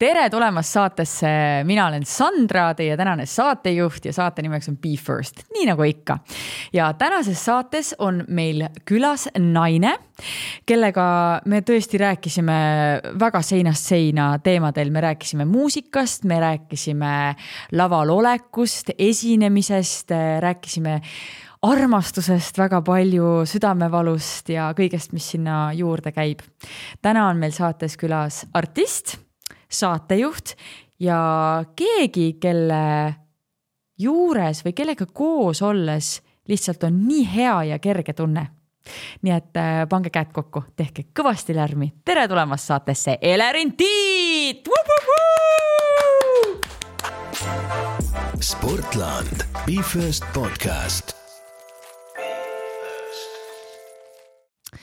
Tere tulemast saatesse, mina olen Sandra, teie tänane saatejuht ja saate nimeks on Be First, nii nagu ikka. Ja tänases saates on meil külas naine, kellega me tõesti rääkisime väga seinast seina teemadel. Me rääkisime muusikast, me rääkisime laval olekust, esinemisest, rääkisime armastusest väga palju, südamevalust ja kõigest, mis sinna juurde käib. Täna on meil saates külas artist, saatejuht ja keegi, kelle juures või kellega koos olles lihtsalt on nii hea ja kerge tunne. Nii et pange käed kokku, tehke kõvasti lärmi. Tere tulemast saatesse, Elerin Tiit! Sportland, Be First podcast.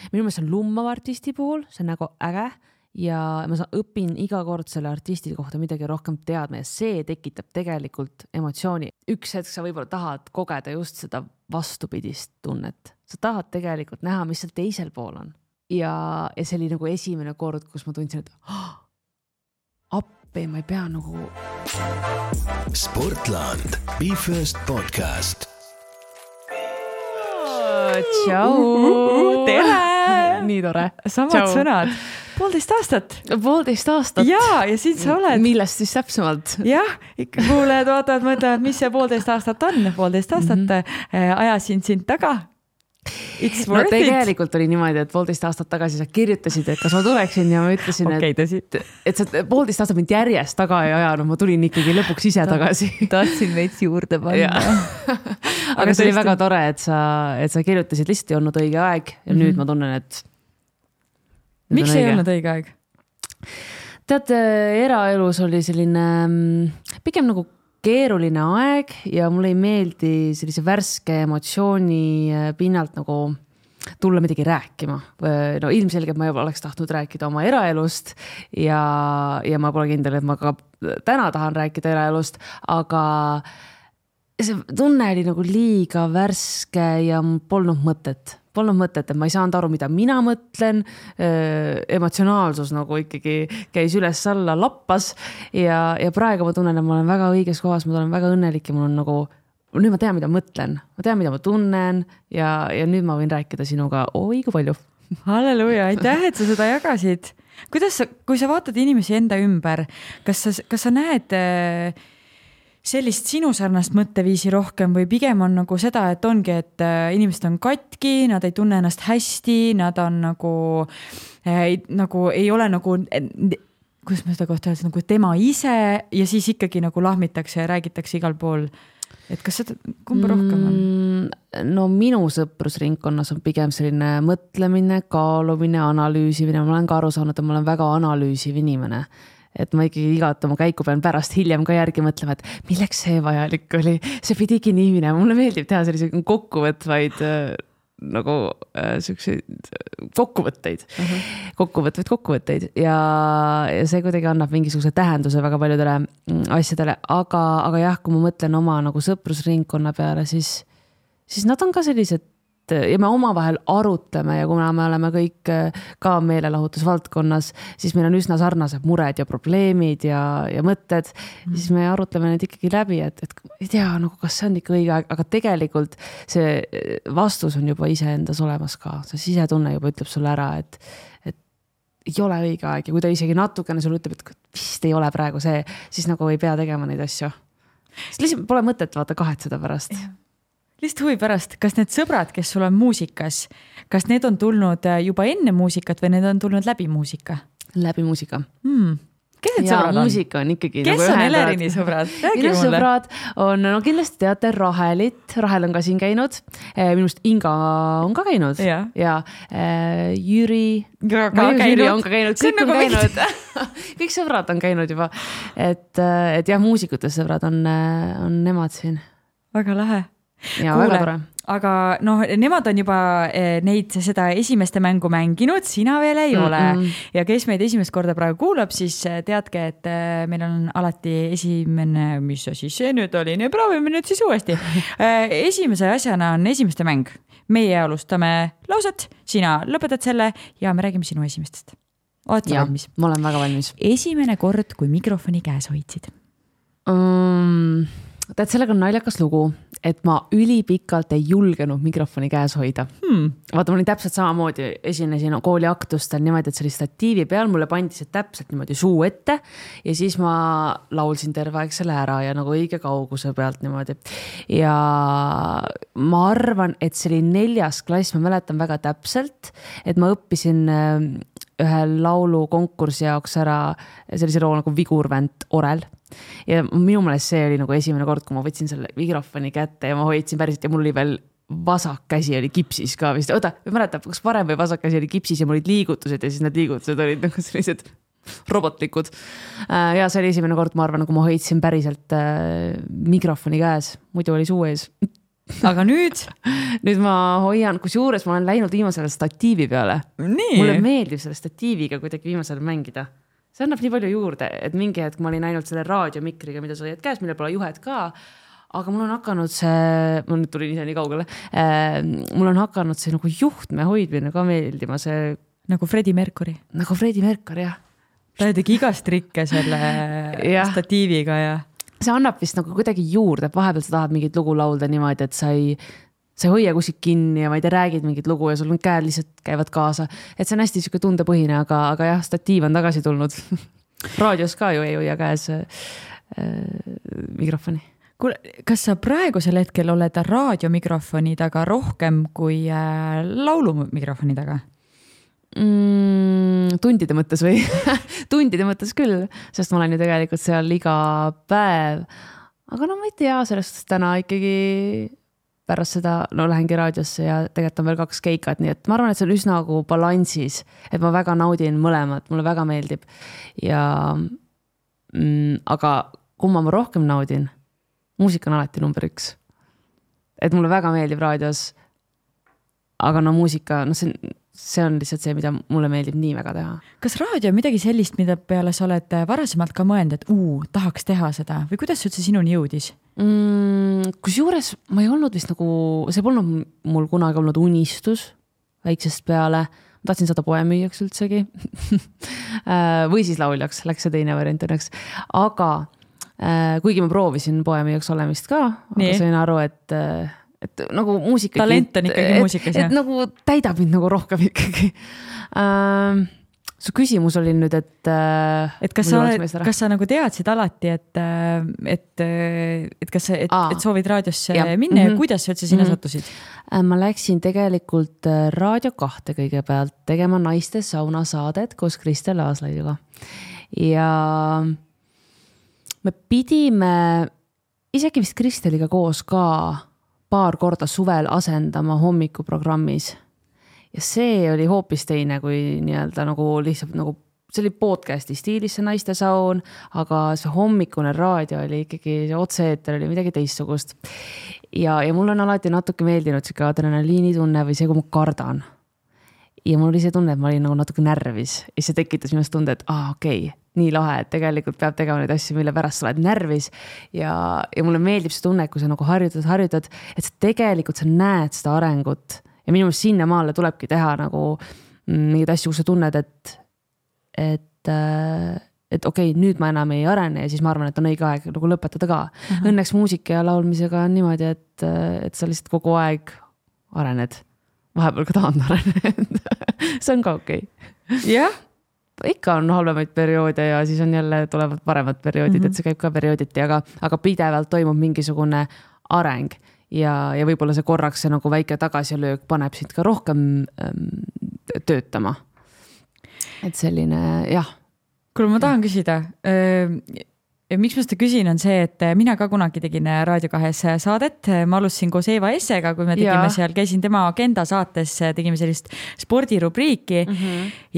Minu meelest on lummav artisti puhul, see on nagu äge. Ja ma õpin iga kord selle artisti kohta midagi rohkem teadma ja see tekitab tegelikult emotsiooni. Üks hetk sa võib-olla tahad kogeda just seda vastupidist tunnet. Sa tahad tegelikult näha, mis seal teisel pool on. Ja see oli nagu esimene kord, kus ma tundsin, et appi, ma ei pea nagu... Sportland, Be First podcast. Tšau! Tere! Nii tore. Samad sõnad. 1,5 aastat. 1,5 aastat. Jaa, ja siin sa oled. Millest siis täpsemalt? Jah, ikka kuuled, vaatavad, mõtlevad, mis see 1,5 aastat on. 1,5 aastat ajasin sind taga. It's worth it. Tegelikult oli niimoodi, et 1,5 aastat tagasi sa kirjutasid, et kas ma tuleksin ja ma ütlesin, et sa 1,5 aastat mind järjest taga ei ajanud, ma tulin ikkagi lõpuks ise tagasi. Tahtsin veits juurde panna. Aga see oli väga tore, et sa kirjutasid, lihtsalt ei olnud õige aeg ja nüüd ma tunnen, et miks ei olnud õige aeg? Tead, eraelus oli selline pigem nagu keeruline aeg ja mulle ei meeldi sellise värske emotsiooni pinnalt nagu tulla midagi rääkima. No ilmselgelt ma juba oleks tahtnud rääkida oma eraelust ja ma pole kindel, et ma ka täna tahan rääkida eraelust, aga see tunne oli nagu liiga värske ja polnud mõtet, et ma ei saanud aru, mida mina mõtlen. Emotsionaalsus nagu ikkagi käis üles alla lappas ja praegu ma tunnen, et ma olen väga õiges kohas, ma olen väga õnnelik ja mul on nagu, nüüd ma tean, mida mõtlen, ma tean, mida ma tunnen ja nüüd ma võin rääkida sinuga õige palju. Halleluja, aitäh, et sa seda jagasid. Kui sa vaatad inimesi enda ümber, kas sa näed sellist sinu sarnast mõtteviisi rohkem või pigem on nagu seda, et ongi, et inimesed on katki, nad ei tunne ennast hästi, nad on nagu ei ole nagu, kuidas ma seda kohta öelda, nagu tema ise ja siis ikkagi nagu lahmitakse ja räägitakse igal pool. Et kas seda kumba rohkem on? No minu sõprusringkonnas on pigem selline mõtlemine, kaalumine, analüüsimine. Ma olen ka aru saanud, et ma olen väga analüüsiv inimene. Et ma ikkagi igat oma käiku pean pärast hiljem ka järgi mõtlema, et milleks see vajalik oli. See pidigi nii minema. Mulle meeldib teha sellise kokkuvõtvaid nagu selliseid kokkuvõtteid. Kokkuvõtteid. Ja see kuidagi annab mingisuguse tähenduse väga paljudele asjadele. Aga jah, kui ma mõtlen oma nagu sõprusringkonna peale, siis nad on ka sellised ja me omavahel arutleme ja kuna me oleme kõik ka meelelahutusvaldkonnas, siis meil on üsna sarnased mured ja probleemid ja mõtted, siis me arutleme need ikkagi läbi, et ei tea, nagu kas see on ikka õige aeg, aga tegelikult see vastus on juba iseendas olemas ka. See sisetunne juba ütleb sulle ära, et ei ole õige aeg ja kui ta isegi natukene sulle ütleb, et vist ei ole praegu see, siis nagu ei pea tegema neid asju. Sest lihtsalt pole mõtet vaata kahetseda pärast. Lihtsalt huvi pärast, kas need sõbrad, kes sul on muusikas, kas need on tulnud juba enne muusikat või need on tulnud läbi muusika? Läbi muusika. Kes need sõbrad on? Muusika on ikkagi kes nagu on Elerini sõbrad? Minu sõbrad on, no kindlasti teate Rahelit. Rahel on ka siin käinud. Minust Inga on ka käinud. Ja Jüri on ka käinud. Kõik on käinud. Kõik sõbrad on käinud juba. Et jah, muusikute sõbrad on nemad siin. Väga lahe. Ja väga tore. Aga nemad on juba seda esimeste mängu mänginud, sina veel ei ole. Ja kes meid esimest korda praegu kuulab, siis teadke, et meil on alati esimene, mis asi see nüüd oli, proovime nüüd siis uuesti. Esimese asjana on esimeste mäng. Meie alustame lauset, sina lõpetad selle ja me räägime sinu esimestest. oled sa valmis? Ma olen väga valmis. Esimene kord, kui mikrofoni käes hoidsid? Tead, sellega on naljakas lugu, et ma ülipikalt ei julgenud mikrofoni käes hoida. Vaata, ma olin täpselt samamoodi, esinesin kooli aktustel niimoodi, et see oli statiivi peal, mulle pandi see täpselt niimoodi suu ette ja siis ma laulsin terve aeg selle ära ja nagu õige kauguse pealt niimoodi. Ja ma arvan, et see oli 4. klass, ma mäletan väga täpselt, et ma õppisin ühe laulu konkursi jaoks ära sellise loo nagu Vigurvänt Orel. Ja minu meelest see oli nagu esimene kord, kui ma võtsin selle mikrofoni kätte ja ma hoidsin päriselt ja mul oli veel vasak käsi oli kipsis ka vist. Oota, mäletab, kas parem või vasak käsi oli kipsis ja mul olid liigutused ja siis need liigutused olid nagu sellised robotlikud. Ja see oli esimene kord, ma arvan, kui ma hoidsin päriselt mikrofoni käes, muidu oli suu ees. Aga nüüd ma hoian, kusjuures ma olen läinud viimasele statiivi peale. Nii. Mulle meeldib selle statiiviga kuidagi viimasel mängida. See annab nii palju juurde, et mingi hetk ma olin ainult selle raadiomikriga, mida sa hoiad käes, mille pole juhet ka, aga mul on hakanud see, ma nüüd tulin ise nii kaugele, mul on hakanud see nagu juhtme hoidmine ka meeldima, see nagu Freddie Mercury. Nagu Freddie Mercury, jah. Ta tegi igast trikke selle statiiviga ja see annab vist nagu kuidagi juurde, et vahepeal sa tahad mingit lugu laulda niimoodi, et sa ei hoia kuskilt kinni ja ma ei tea, räägid mingit lugu ja sul käed lihtsalt käivad kaasa. Et see on hästi siuke tundepõhine, aga jah, statiiv on tagasi tulnud. Raadios ka ju ei hoia käes mikrofoni. Kuule, kas sa praegusel hetkel oled raadiomikrofoni taga rohkem kui laulumikrofoni taga? Tundide mõttes või? Tundide mõttes küll, sest ma olen ju tegelikult seal iga päev. Aga no ma ei tea, sellest täna ikkagi pärast seda, lähengi raadiosse ja tegelikult on veel 2 keikat, nii et ma arvan, et see on üsna nagu balansis, et ma väga naudin mõlemat, mulle väga meeldib. Ja, aga kumma ma rohkem naudin, muusika on alati number 1. Et mulle väga meeldib raadios, aga no muusika, see on lihtsalt see, mida mulle meeldib nii väga teha. Kas raadio on midagi sellist, mida peale sa oled varasemalt ka mõelnud, et tahaks teha seda või kuidas see üldse sinuni jõudis? Kusjuures ma ei olnud vist nagu, see polnud mul kunagi olnud unistus väiksest peale. Ma tahtsin saada poemüüjaks üldsegi või siis lauljaks, läks see teine variant õnneks. Aga kuigi ma proovisin poemüüjaks olemist ka, aga sain aru, et nagu muusika talent on ikkagi muusikas, et nagu täidab mind nagu rohkem ikkagi. Su küsimus oli nüüd, et kas sa nagu teadsid alati, et soovid raadiosse minna ja kuidas sa üldse sinna sattusid? Ma läksin tegelikult Raadio 2 kõigepealt tegema naiste sauna saadet koos Kristel Aaslaiuga. Ja me pidime isegi vist Kristeliga koos ka paar korda suvel asendama hommikuprogrammis. Ja see oli hoopis teine kui nii-öelda nagu lihtsalt nagu, see oli podcasti stiilis see naiste saun, aga see hommikune raadio oli ikkagi, see otse-eeter oli midagi teistsugust. Ja mul on alati natuke meeldinud see adrenaliini tunne või see, kui ma kardan. Ja mul oli see tunne, et ma olin nagu natuke närvis ja see tekitas minust tunde, et okei, nii lahe, et tegelikult peab tegema neid asju, mille pärast sa oled närvis ja mulle meeldib see tunne, kui sa nagu harjutad, et sa tegelikult sa näed seda arengut ja minu meelest sinna maale tulebki teha nagu mingid asju, kus sa tunned, et okei, nüüd ma enam ei arene ja siis ma arvan, et on õige aeg nagu lõpetada ka. Õnneks muusika ja laulmisega on niimoodi, et sa lihtsalt kogu aeg arened. Vahepeal ka tahan arened. See on ka okei. Jah. Ikka on halvemaid perioode ja siis on jälle tulevad paremad perioodid, et see käib ka periooditi, aga pidevalt toimub mingisugune areng ja võib-olla see korraks see nagu väike tagasilöök paneb sind ka rohkem töötama. Et selline, jah. Kuule, ma tahan küsida, miks ma seda küsin on see, et mina ka kunagi tegin Raadio 2 saadet, ma alustasin koos Eeva Essega, kui me tegime seal, käisin tema agenda saates, tegime sellist spordirubriiki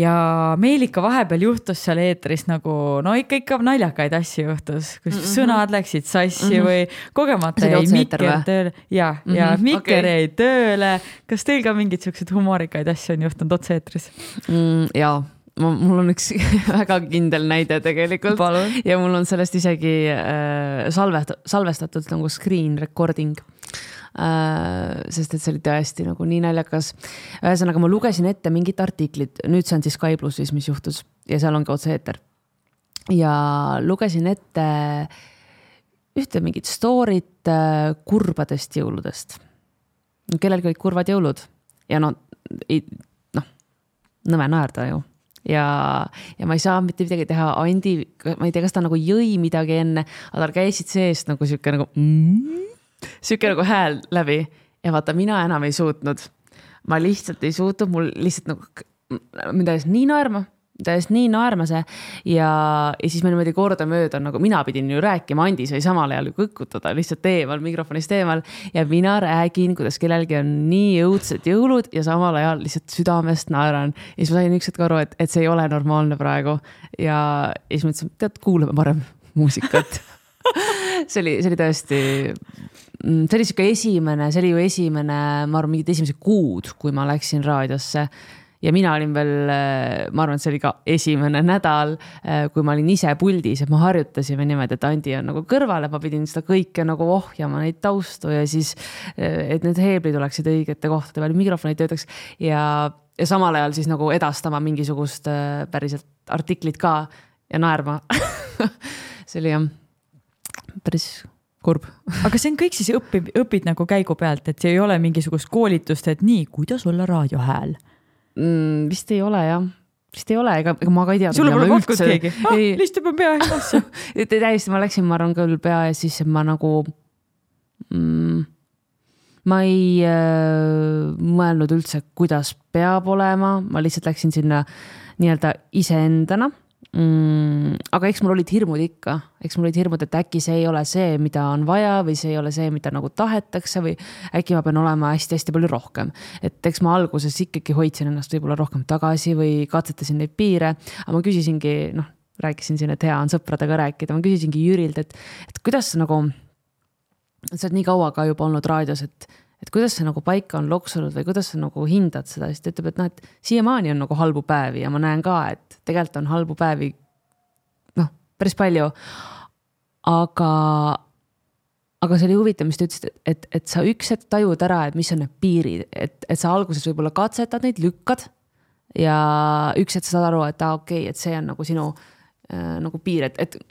ja meil ikka vahepeal juhtus seal eetris nagu, no ikka naljakaid asju juhtus, kus sõnad läksid sassi või kogemata jäi mikker tööle ja mikker jäi tööle. Kas teil ka mingid sellised humorikaid asju on juhtunud otse-eetris? Jaa. Mul on üks väga kindel näide tegelikult. Palun. Ja mul on sellest isegi salvestatud nagu screen recording, sest et see oli tõesti nagu nii naljakas. Ühesõnaga ma lugesin ette mingit artiklit, nüüd see on siis Sky Plussis, mis juhtus. ja seal ongi otse-eeter. Ja lugesin ette ühte mingit story't kurbadest jõuludest. Kellelgi olid kurvad jõulud ja nõme naerda ju. Ja ma ei saa mitte midagi teha. Andi, ma ei tea, kas ta nagu jõi midagi enne, aga tal käisid seest nagu siuke nagu hääl läbi ja vaata, mina enam ei suutnud. Ma lihtsalt ei suutnud, mul lihtsalt nagu mida nii naerma see ja siis me niimoodi korda mööda, nagu mina pidin ju rääkima, Andi sai samal ajal kõkutada lihtsalt teemal, mikrofonist teemal ja mina räägin, kuidas kellelgi on nii õudsed jõulud ja samal ajal lihtsalt südamest naeran. Ja siis ma sain üks hetk aru, et see ei ole normaalne praegu ja siis ma ütlesin, tead, kuulame parem muusikat. see oli tõesti, see oli siuke esimene, ma arvan, mingid esimesed kuud, kui ma läksin raadiosse. Ja mina olin veel, ma arvan, et see oli ka esimene nädal, kui ma olin ise puldis, et ma harjutasime niimoodi, et Andi on nagu kõrval, et ma pidin seda kõike nagu ohjama, neid taustu ja siis, et need heeblid oleksid õigete kohtade peal, mikrofonid töötaks ja samal ajal siis nagu edastama mingisugust päriselt artiklit ka ja naerma. See oli jah, päris kurb. Aga see on kõik siis õpid nagu käigu pealt, et see ei ole mingisugust koolitust, et nii, kuidas olla raadiohääl? Vist ei ole, jah. Vist ei ole, ega ma ka ei tea. Sulle pole pakkud keegi? Lihtsalt juba pea ees asja. Täiesti, ma läksin, ma arvan küll pea ees, siis ma nagu ma ei mõelnud üldse, kuidas peab olema. Ma lihtsalt läksin sinna nii-öelda iseendana. Aga eks mul olid hirmud ikka. Eks mul olid hirmud, et äkki see ei ole see, mida on vaja või see ei ole see, mida nagu tahetakse või äkki ma pean olema hästi-hästi palju rohkem. Et eks ma alguses ikkagi hoidsin ennast võib-olla rohkem tagasi või katsetasin neid piire. Aga ma küsisingi, rääkisin siin, et hea on sõpradega rääkida. Ma küsisingi Jürilt, et kuidas sa nagu, sa oled nii kaua ka juba olnud raadios, et kuidas see nagu paika on loksunud või kuidas sa nagu hindad seda, siis ta ütleb, et et siiamaani on nagu halbu päevi ja ma näen ka, et tegelikult on halbu päevi päris palju, aga see oli huvitav, mis ta ütlesid, et sa üks hetk tajud ära, et mis on need piirid, et sa alguses võib-olla katsetad neid, lükkad ja üks hetk sa saad aru, et okei, et see on nagu sinu nagu piir, et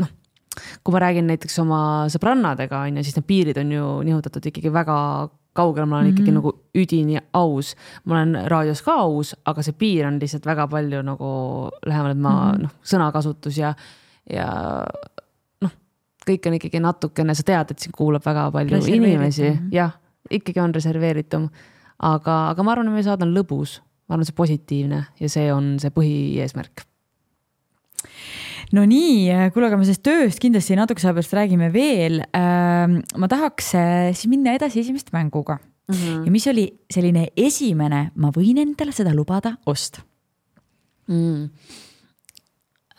kui ma räägin näiteks oma sõbrannadega, siis need piirid on ju nihutatud ikkagi väga kaugel, ma olen ikkagi nagu üdini aus. Ma olen raadios ka aus, aga see piir on lihtsalt väga palju nagu lähemal, et ma sõnakasutus ja kõik on ikkagi natukene, sa tead, et siin kuulab väga palju inimesi. Jah, ikkagi on reserveeritum. Aga ma arvan, et meie saad on lõbus. Ma arvan, see positiivne ja see on see põhieesmärk. No nii, kuule, aga me sellest tööst kindlasti natuke pärast räägime veel. Ma tahaks siis minna edasi esimest mänguga. Ja mis oli selline esimene, ma võin endale seda lubada, ost.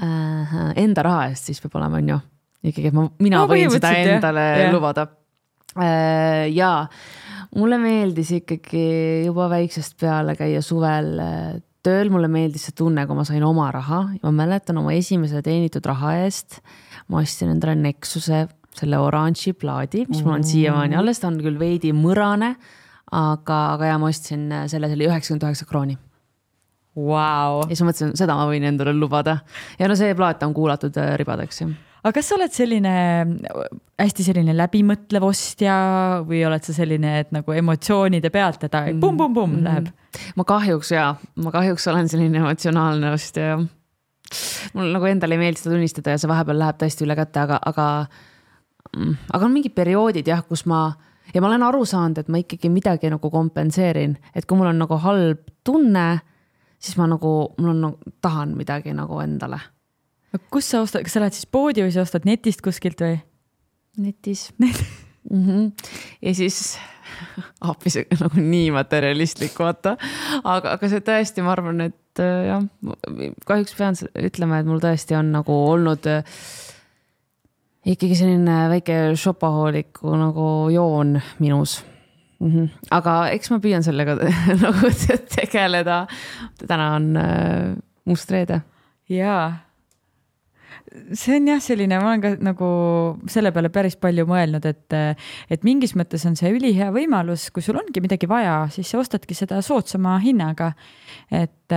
Enda raha eest siis peab olema, on ju. Ikkagi, mina võin seda endale lubada. Ja mulle meeldis ikkagi juba väiksest peale käia suvel tööl, mulle meeldis see tunne, kui ma sain oma raha. Ma mäletan oma esimese teenitud raha eest. Ma ostsin endale Nexuse, selle oranži plaadi, mis mul on siiamaani alles. Ta on küll veidi mõrane, aga ja ma ostsin selle 99 krooni. Wow. Ja siis ma mõtlesin, seda ma võin endale lubada. Ja see plaat on kuulatud ribadeks. Aga kas sa oled hästi selline läbimõtlev ostja või oled sa selline, et nagu emotsioonide pealt, et pum läheb? Ma kahjuks olen selline emotsionaalne ostja. Mul nagu endale ei meeldi seda tunnistada ja see vahepeal läheb tõesti üle kätte, aga on mingid perioodid, kus ma olen aru saanud, et ma ikkagi midagi nagu kompenseerin, et kui mul on nagu halb tunne, siis ma tahan midagi nagu endale. Kus sa ostad, kas sa lähed siis poodi või sa ostad netist kuskilt või? Netis. Ja siis hoopis nagu nii materialistlik vaata. Aga see tõesti, ma arvan, et jah, kahjuks pean ütlema, et mul tõesti on nagu olnud ikkagi selline väike shopahooliku nagu joon minus. Aga eks ma püüan sellega nagu tegeleda. Täna on must reede. Jaa. see on jah selline, ma olen ka nagu selle peale päris palju mõelnud, et mingis mõttes on see ülihea võimalus, kui sul ongi midagi vaja, siis sa ostadki seda soodsama hinnaga. Et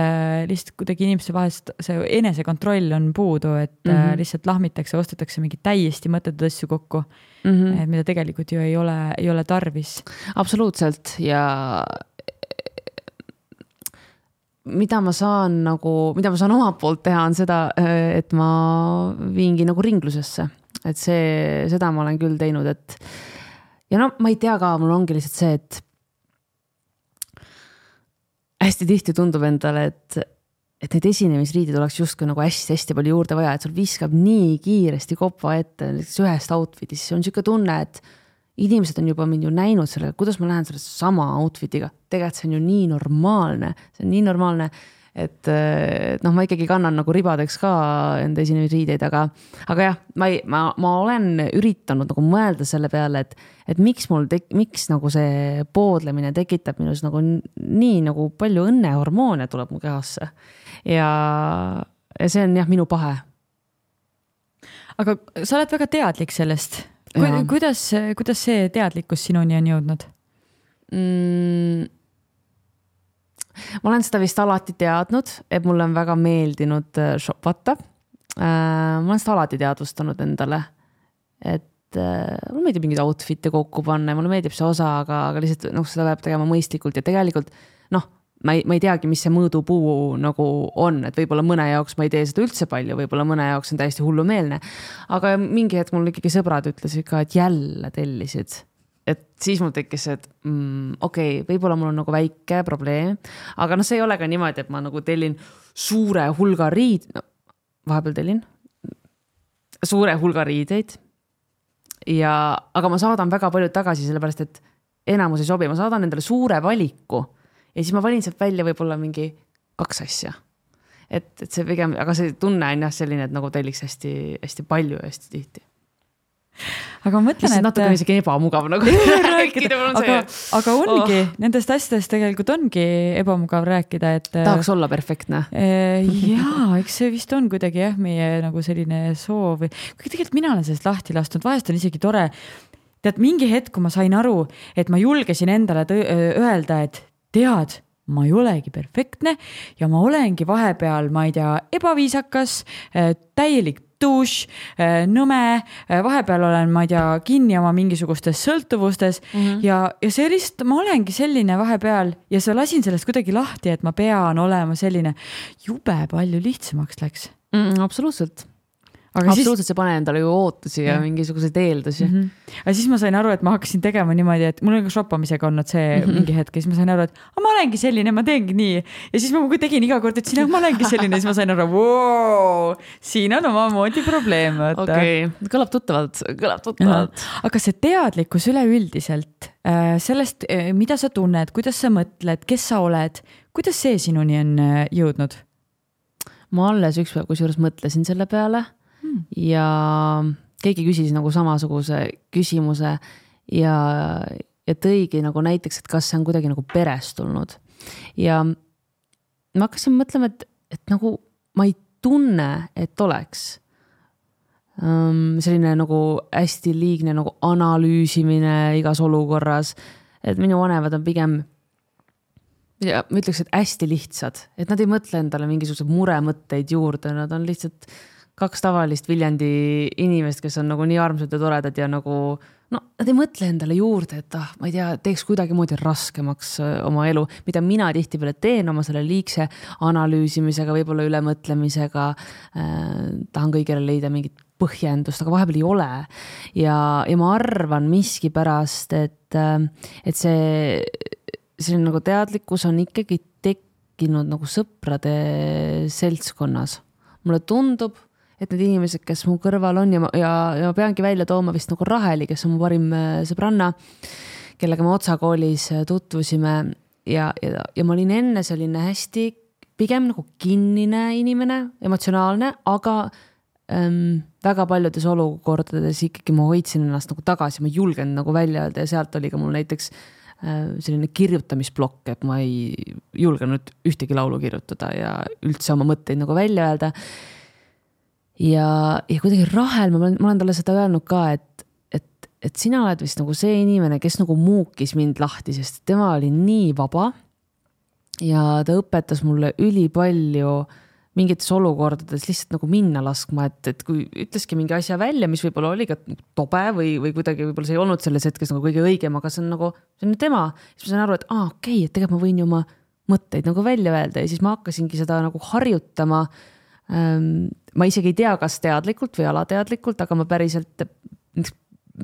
lihtsalt kuidagi inimeste vahest see enesekontroll on puudu, et lihtsalt lahmitakse, ostetakse mingi täiesti mõttetud asju kokku, mida tegelikult ju ei ole tarvis. Absoluutselt ja mida ma saan omalt poolt teha, on seda, et ma viingi nagu ringlusesse, et seda ma olen küll teinud, et ja no ma ei tea ka, mul ongi lihtsalt see, et hästi tihti tundub endale, et need esinemisriidid oleks justkui nagu hästi palju juurde vaja, et sul viskab nii kiiresti kopa ette ühest outfitis, see on selline tunne, et inimesed on juba mind ju näinud selle, kuidas ma lähen selle sama outfitiga. Tegelikult see on ju nii normaalne, et noh, ma ikkagi kannan nagu ribadeks ka enda esinemisriideid, aga jah, ma olen üritanud nagu mõelda selle peale, et miks nagu see poodlemine tekitab minus nagu nii nagu palju õnnehormoone tuleb mu kehasse. Ja see on jah minu pahe. Aga sa oled väga teadlik sellest. Kuidas see teadlikkus sinuni on jõudnud? Ma olen seda vist alati teadnud, et mulle on väga meeldinud shopata. Ma olen seda alati teadvustanud endale, et mulle meeldib mingid outfit'e kokku panna ja mulle meeldib see osa, aga lihtsalt seda peab tegema mõistlikult ja tegelikult ma ei teagi, mis see mõõdupuu nagu on, et võib-olla mõne jaoks ma ei tee seda üldse palju, võib-olla mõne jaoks on täiesti hullumeelne, aga mingi hetk mul ikkagi sõbrad ütlesid ka, et jälle tellisid, et siis mul tekkis, et okei, võib-olla mul on nagu väike probleem, aga see ei ole ka niimoodi, et ma nagu tellin suure hulga vahepeal tellin suure hulga riideid aga ma saadan väga palju tagasi, sellepärast, et enamus ei sobi, ma saadan endale suure valiku ja siis ma valin sealt välja võib-olla mingi 2 asja. Et see pigem, aga see tunne on jah selline, et nagu telliks hästi palju ja hästi tihti. Aga ma mõtlen, et natuke isegi ebamugav nagu rääkida. Aga ongi, nendest asjadest tegelikult ongi ebamugav rääkida, et tahaks olla perfektne. Jaa, eks see vist on kuidagi jah, meie nagu selline soov. Kui tegelikult mina olen sellest lahti lastud, vahest on isegi tore. Tead, mingi hetk, kui ma sain aru, et ma julgesin endale öelda, et tead, ma ei olegi perfektne ja ma olengi vahepeal, ma ei tea, ebaviisakas, täielik tuus, nõme, vahepeal olen, ma ei tea, kinni oma mingisugustes sõltuvustes ja see lihtsalt, ma olengi selline vahepeal ja sa lasin sellest kuidagi lahti, et ma pean olema selline, jube palju lihtsamaks läks. Absoluutselt. Absoluutselt see pane endale ju ootusi ja mingisuguseid eeldusi. Aga siis ma sain aru, et ma hakkasin tegema niimoodi, et mul on ka shoppamisega olnud see mingi hetk ja siis ma sain aru, et ma olengi selline, ma teengi nii. Ja siis ma tegin iga kord, et siin ma olengi selline ja siis ma sain aru, siin on omamoodi probleem. Okei, kõlab tuttavalt. Aga see teadlikkus üleüldiselt, sellest, mida sa tunned, kuidas sa mõtled, kes sa oled, kuidas see sinuni on jõudnud? Ma alles üks päev kusjuures mõtlesin selle peale ja keegi küsis nagu samasuguse küsimuse ja tõigi nagu näiteks, et kas see on kuidagi nagu perest tulnud. Ja ma hakkasin mõtlema, et nagu ma ei tunne, et oleks selline nagu hästi liigne nagu analüüsimine igas olukorras, et minu vanemad on pigem ja ma ütleks, et hästi lihtsad, et nad ei mõtle endale mingisugused muremõtteid juurde, nad on lihtsalt 2 tavalist Viljandi inimest, kes on nagu nii armsad ja toredad ja nagu, nad ei mõtle endale juurde, et ma ei tea, teeks kuidagi moodi raskemaks oma elu, mida mina tihti peale teen oma selle liigse analüüsimisega, võib-olla ülemõtlemisega, tahan kõigele leida mingit põhjendust, aga vahepeal ei ole. Ja ma arvan miski pärast, et see nagu teadlikkus on ikkagi tekkinud nagu sõprade seltskonnas. Mulle tundub, et need inimesed, kes mu kõrval on ja ma peangi välja tooma vist nagu Raheli, kes on mu parim sõbranna, kellega me otsakoolis tutvusime ja ma olin enne selline hästi pigem nagu kinnine inimene, emotsionaalne, aga väga paljudes olukordades ikkagi ma hoidsin ennast nagu tagasi, ma julgen nagu välja öelda ja sealt oli ka mul näiteks selline kirjutamisblokk, et ma ei julgenud ühtegi laulu kirjutada ja üldse oma mõtteid nagu välja öelda. ja kuidagi Rahel, ma olen talle seda öelnud ka, et sina oled vist nagu see inimene, kes nagu muukis mind lahti, sest tema oli nii vaba ja ta õpetas mulle ülipalju mingites olukordades lihtsalt nagu minna laskma, et kui ütleski mingi asja välja, mis võib-olla oli ka tobe või kuidagi võib-olla see ei olnud selles hetkes nagu kõige õigem, aga see on nagu, see on tema, siis ma sain aru, et okei, et tegelikult ma võin ju oma mõtteid nagu välja öelda ja siis ma hakkasingi seda nagu harjutama. Ma isegi ei tea, kas teadlikult või alateadlikult, aga ma päriselt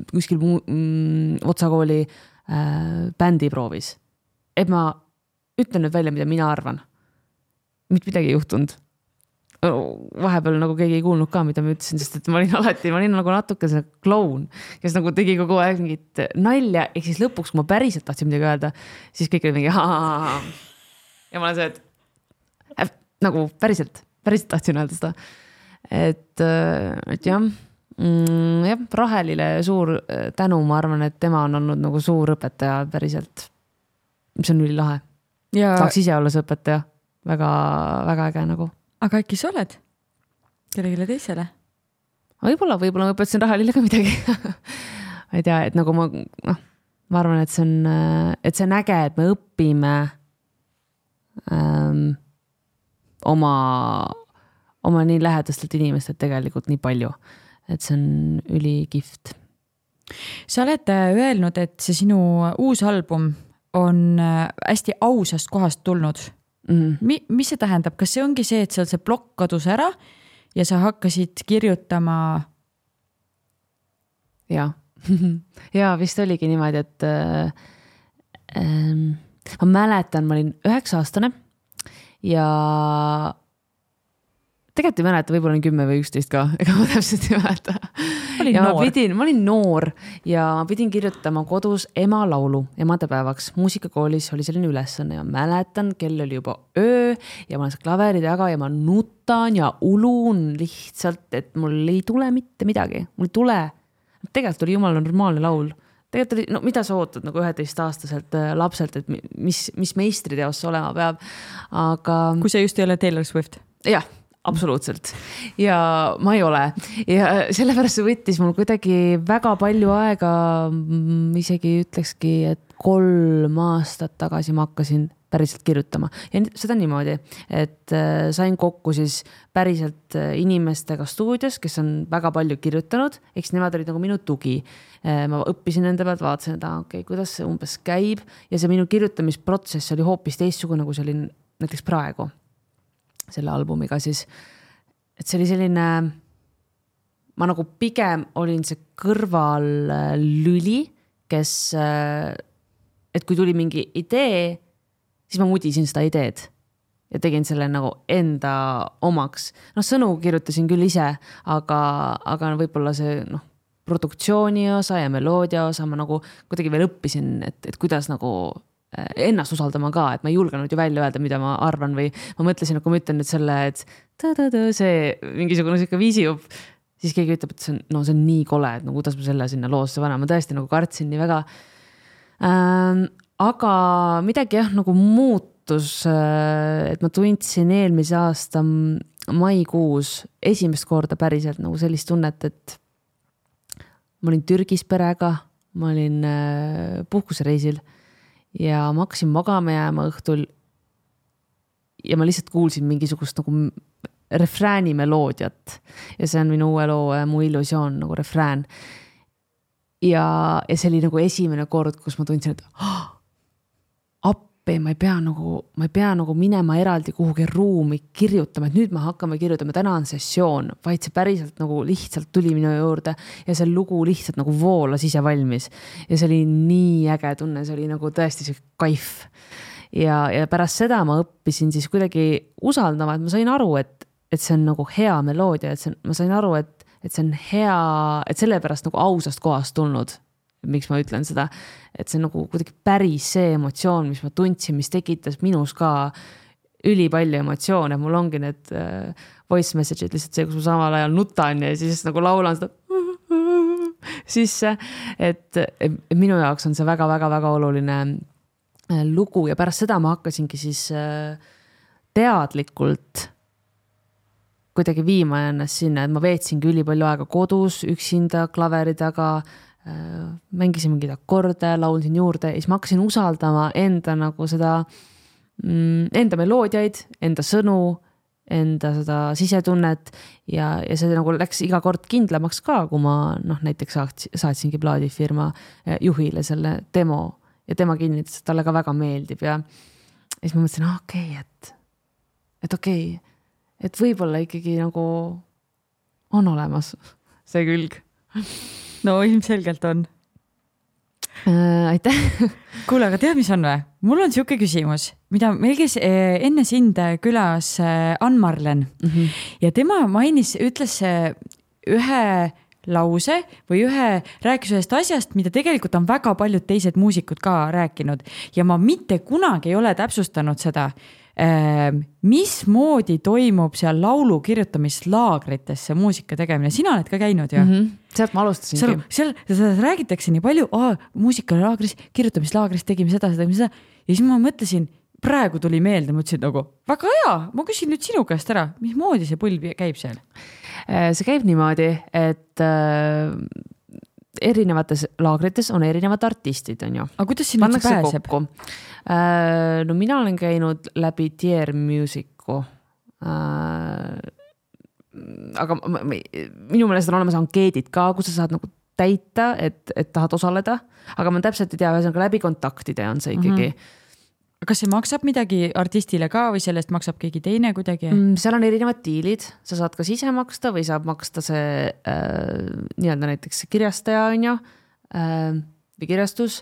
kuskil otsakooli bändiproovis, et ma ütlen nüüd välja, mida mina arvan. Mitte midagi ei juhtunud. Vahepeal nagu keegi ei kuulnud ka, mida ma ütlesin, sest et ma olin nagu natuke see kloun, kes nagu tegi kogu aeg mingit nalja, ehk siis lõpuks, kui ma päriselt tahtsin midagi öelda, siis kõik oli mingi ja ma olen see, et nagu päriselt tahtsin öelda seda. Et jah, Rahelile suur tänu, ma arvan, et tema on olnud nagu suur õpetaja päriselt, mis on ülilahe. Saaks ise olla see õpetaja, väga, väga äge nagu. Aga äkki sa oled kellegile teisele? Võib-olla ma õpetasin Rahelile ka midagi. Ma ei tea, et nagu ma arvan, et see on äge, et me õpime oma nii lähedastelt inimestelt tegelikult nii palju, et see on ülikift. Sa oled öelnud, et see sinu uus album on hästi ausast kohast tulnud. Mis see tähendab? Kas see ongi see, et seal see plokk kadus ära ja sa hakkasid kirjutama? Ja vist oligi niimoodi, et ma mäletan, ma olin 9-aastane ja tegelikult ei mäleta, võib-olla olin 10 või 11 ka, ega ma täpselt ei mäleta. Ma olin noor ja ma pidin kirjutama kodus ema laulu emadepäevaks. Muusikakoolis oli selline ülesanne ja mäletan, kell oli juba öö ja ma olen see klaveri taga ja ma nutan ja ulun lihtsalt, et mul ei tule mitte midagi. Mul ei tule. Tegelikult oli jumala normaalne laul. Tegelikult oli, no mida sa ootad nagu 11-aastaselt lapselt, et mis meistriteos olema peab. Aga kui see just ei ole Taylor Swift. Jah. Absoluutselt. Ja ma ei ole. Ja sellepärast see võttis mul kuidagi väga palju aega, isegi ütlekski, et 3 aastat tagasi ma hakkasin päriselt kirjutama. Ja seda niimoodi, et sain kokku siis päriselt inimestega stuudios, kes on väga palju kirjutanud, eks nemad olid nagu minu tugi. Ma õppisin nende pealt, vaatasin, et kuidas see umbes käib ja see minu kirjutamisprotsess oli hoopis teistsugune, kui see oli näiteks praegu. Selle albumiga siis, et see oli selline, ma nagu pigem olin see kõrval lüli, kes, et kui tuli mingi idee, siis ma mudisin seda ideed ja tegin selle nagu enda omaks. Sõnu kirjutasin küll ise, aga võib-olla see produktsiooni osa ja meloodia osa ma nagu kuidagi veel õppisin, et kuidas nagu ennast usaldama ka, et ma ei julgenud ju välja öelda, mida ma arvan või ma mõtlesin, et kui ma ütlen nüüd selle, et see mingisugune siuke viisijup, siis keegi ütleb, et see on nii kole, et kuidas ma selle sinna loosse vanem, ma tõesti nagu kartsin nii väga. Aga midagi nagu muutus, et ma tundsin eelmise aasta maikuus esimest korda päriselt nagu sellist tunnet, et ma olin Türgis perega, ma olin puhkusereisil ja ma hakkasin magama jääma õhtul ja ma lihtsalt kuulsin mingisugust nagu refrääni meloodiat ja see on minu uue loo Mu illusioon nagu refrään ja see oli nagu esimene kord, kus ma tundsin, et appi, ma ei pea nagu minema eraldi kuhugi ruumi kirjutama, et nüüd me hakkame kirjutama, täna on sessioon, vaid see päriselt nagu lihtsalt tuli minu juurde ja see lugu lihtsalt nagu voolas ise valmis ja see oli nii äge tunne, see oli nagu tõesti see kaif ja pärast seda ma õppisin siis kuidagi usaldama, et ma sain aru, et see on nagu hea meloodia, ma sain aru, et see on hea, et sellepärast nagu ausast kohast tulnud, miks ma ütlen seda, et see on nagu kuidagi päris see emotsioon, mis ma tundsin, mis tekitas minus ka ülipalju emotsioone, mul ongi need voice message'id lihtsalt see, kus ma samal ajal nutan ja siis nagu laulan seda sisse, et minu jaoks on see väga-väga-väga oluline lugu ja pärast seda ma hakkasingi siis teadlikult kuidagi viima ennast sinna, et ma veetsingi ülipalju aega kodus, üksinda klaveri taga, mängisin mingeid akorde, laulsin juurde ja siis ma hakkasin usaldama enda nagu seda, enda meloodiaid, enda sõnu, enda seda sisetunnet ja see nagu läks iga kord kindlamaks ka, kui ma näiteks saatsingi plaadifirma juhile selle demo ja tema kinnitas, et talle ka väga meeldib ja siis ma mõtlesin, et okei, et võib-olla ikkagi nagu on olemas see külg. No ilmselgelt on. Aitäh. Kuule, aga tead, mis on või? Mul on siuke küsimus, mida meil käis enne sind külas Ann-Marlen ja tema ütles ühe lause või rääkis ühest asjast, mida tegelikult on väga paljud teised muusikud ka rääkinud ja ma mitte kunagi ei ole täpsustanud seda, mismoodi toimub seal laulu kirjutamislaagritesse muusika tegemine. Sina oled ka käinud ju? Sealt ma alustasingi. Seal räägitakse nii palju, muusikalaagris, kirjutamislaagris tegime seda ja siis ma mõtlesin, praegu tuli meelde, mõtlesin nagu, väga hea, ma küsin nüüd sinu käest ära, mismoodi see põlv käib seal? See käib niimoodi, et erinevates laagrites on erinevad artistid, on ju. Aga kuidas sinna pääseb? No mina olen käinud läbi Tier Musicu. Aga minu meelest on olemas ankeedid ka, kus sa saad nagu täita, et tahad osaleda. Aga ma täpselt ei tea, ühesõnaga läbi kontaktide on see ikkagi. Kas see maksab midagi artistile ka või sellest maksab keegi teine kuidagi? Seal on erinevad diilid, sa saad kas ise maksta või saab maksta see nii-öelda näiteks kirjastaja on ju, või kirjastus,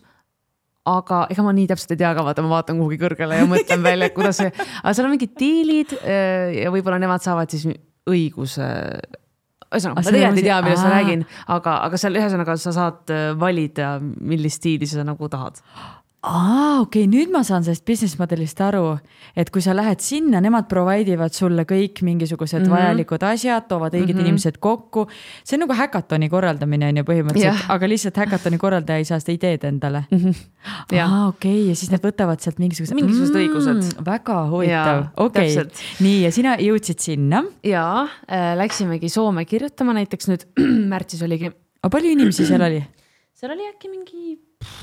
aga ega ma nii täpselt ei tea ka, ma vaatan kuhugi kõrgele ja mõtlen välja, et kuidas see, aga seal on mingid diilid ja võib-olla nemad saavad siis õiguse, ma tegelikult ei tea, millest ma räägin, aga seal ühesõnaga sa saad valida, millist diili sa nagu tahad. Okei, nüüd ma saan sellest business modelist aru, et kui sa lähed sinna, nemad provaidivad sulle kõik mingisugused vajalikud asjad, toovad õiged inimesed kokku. See on nagu häkatoni korraldamine on ju põhimõtteliselt, aga lihtsalt häkatoni korraldaja ei saa seda ideed endale. Okei, ja siis nad võtavad sealt mingisugused õigused. Väga huvitav. Okei, nii ja sina jõudsid sinna? Jaa, läksimegi Soome kirjutama näiteks nüüd märtsis oligi. Aga palju inimesi seal oli? Seal oli äkki mingi,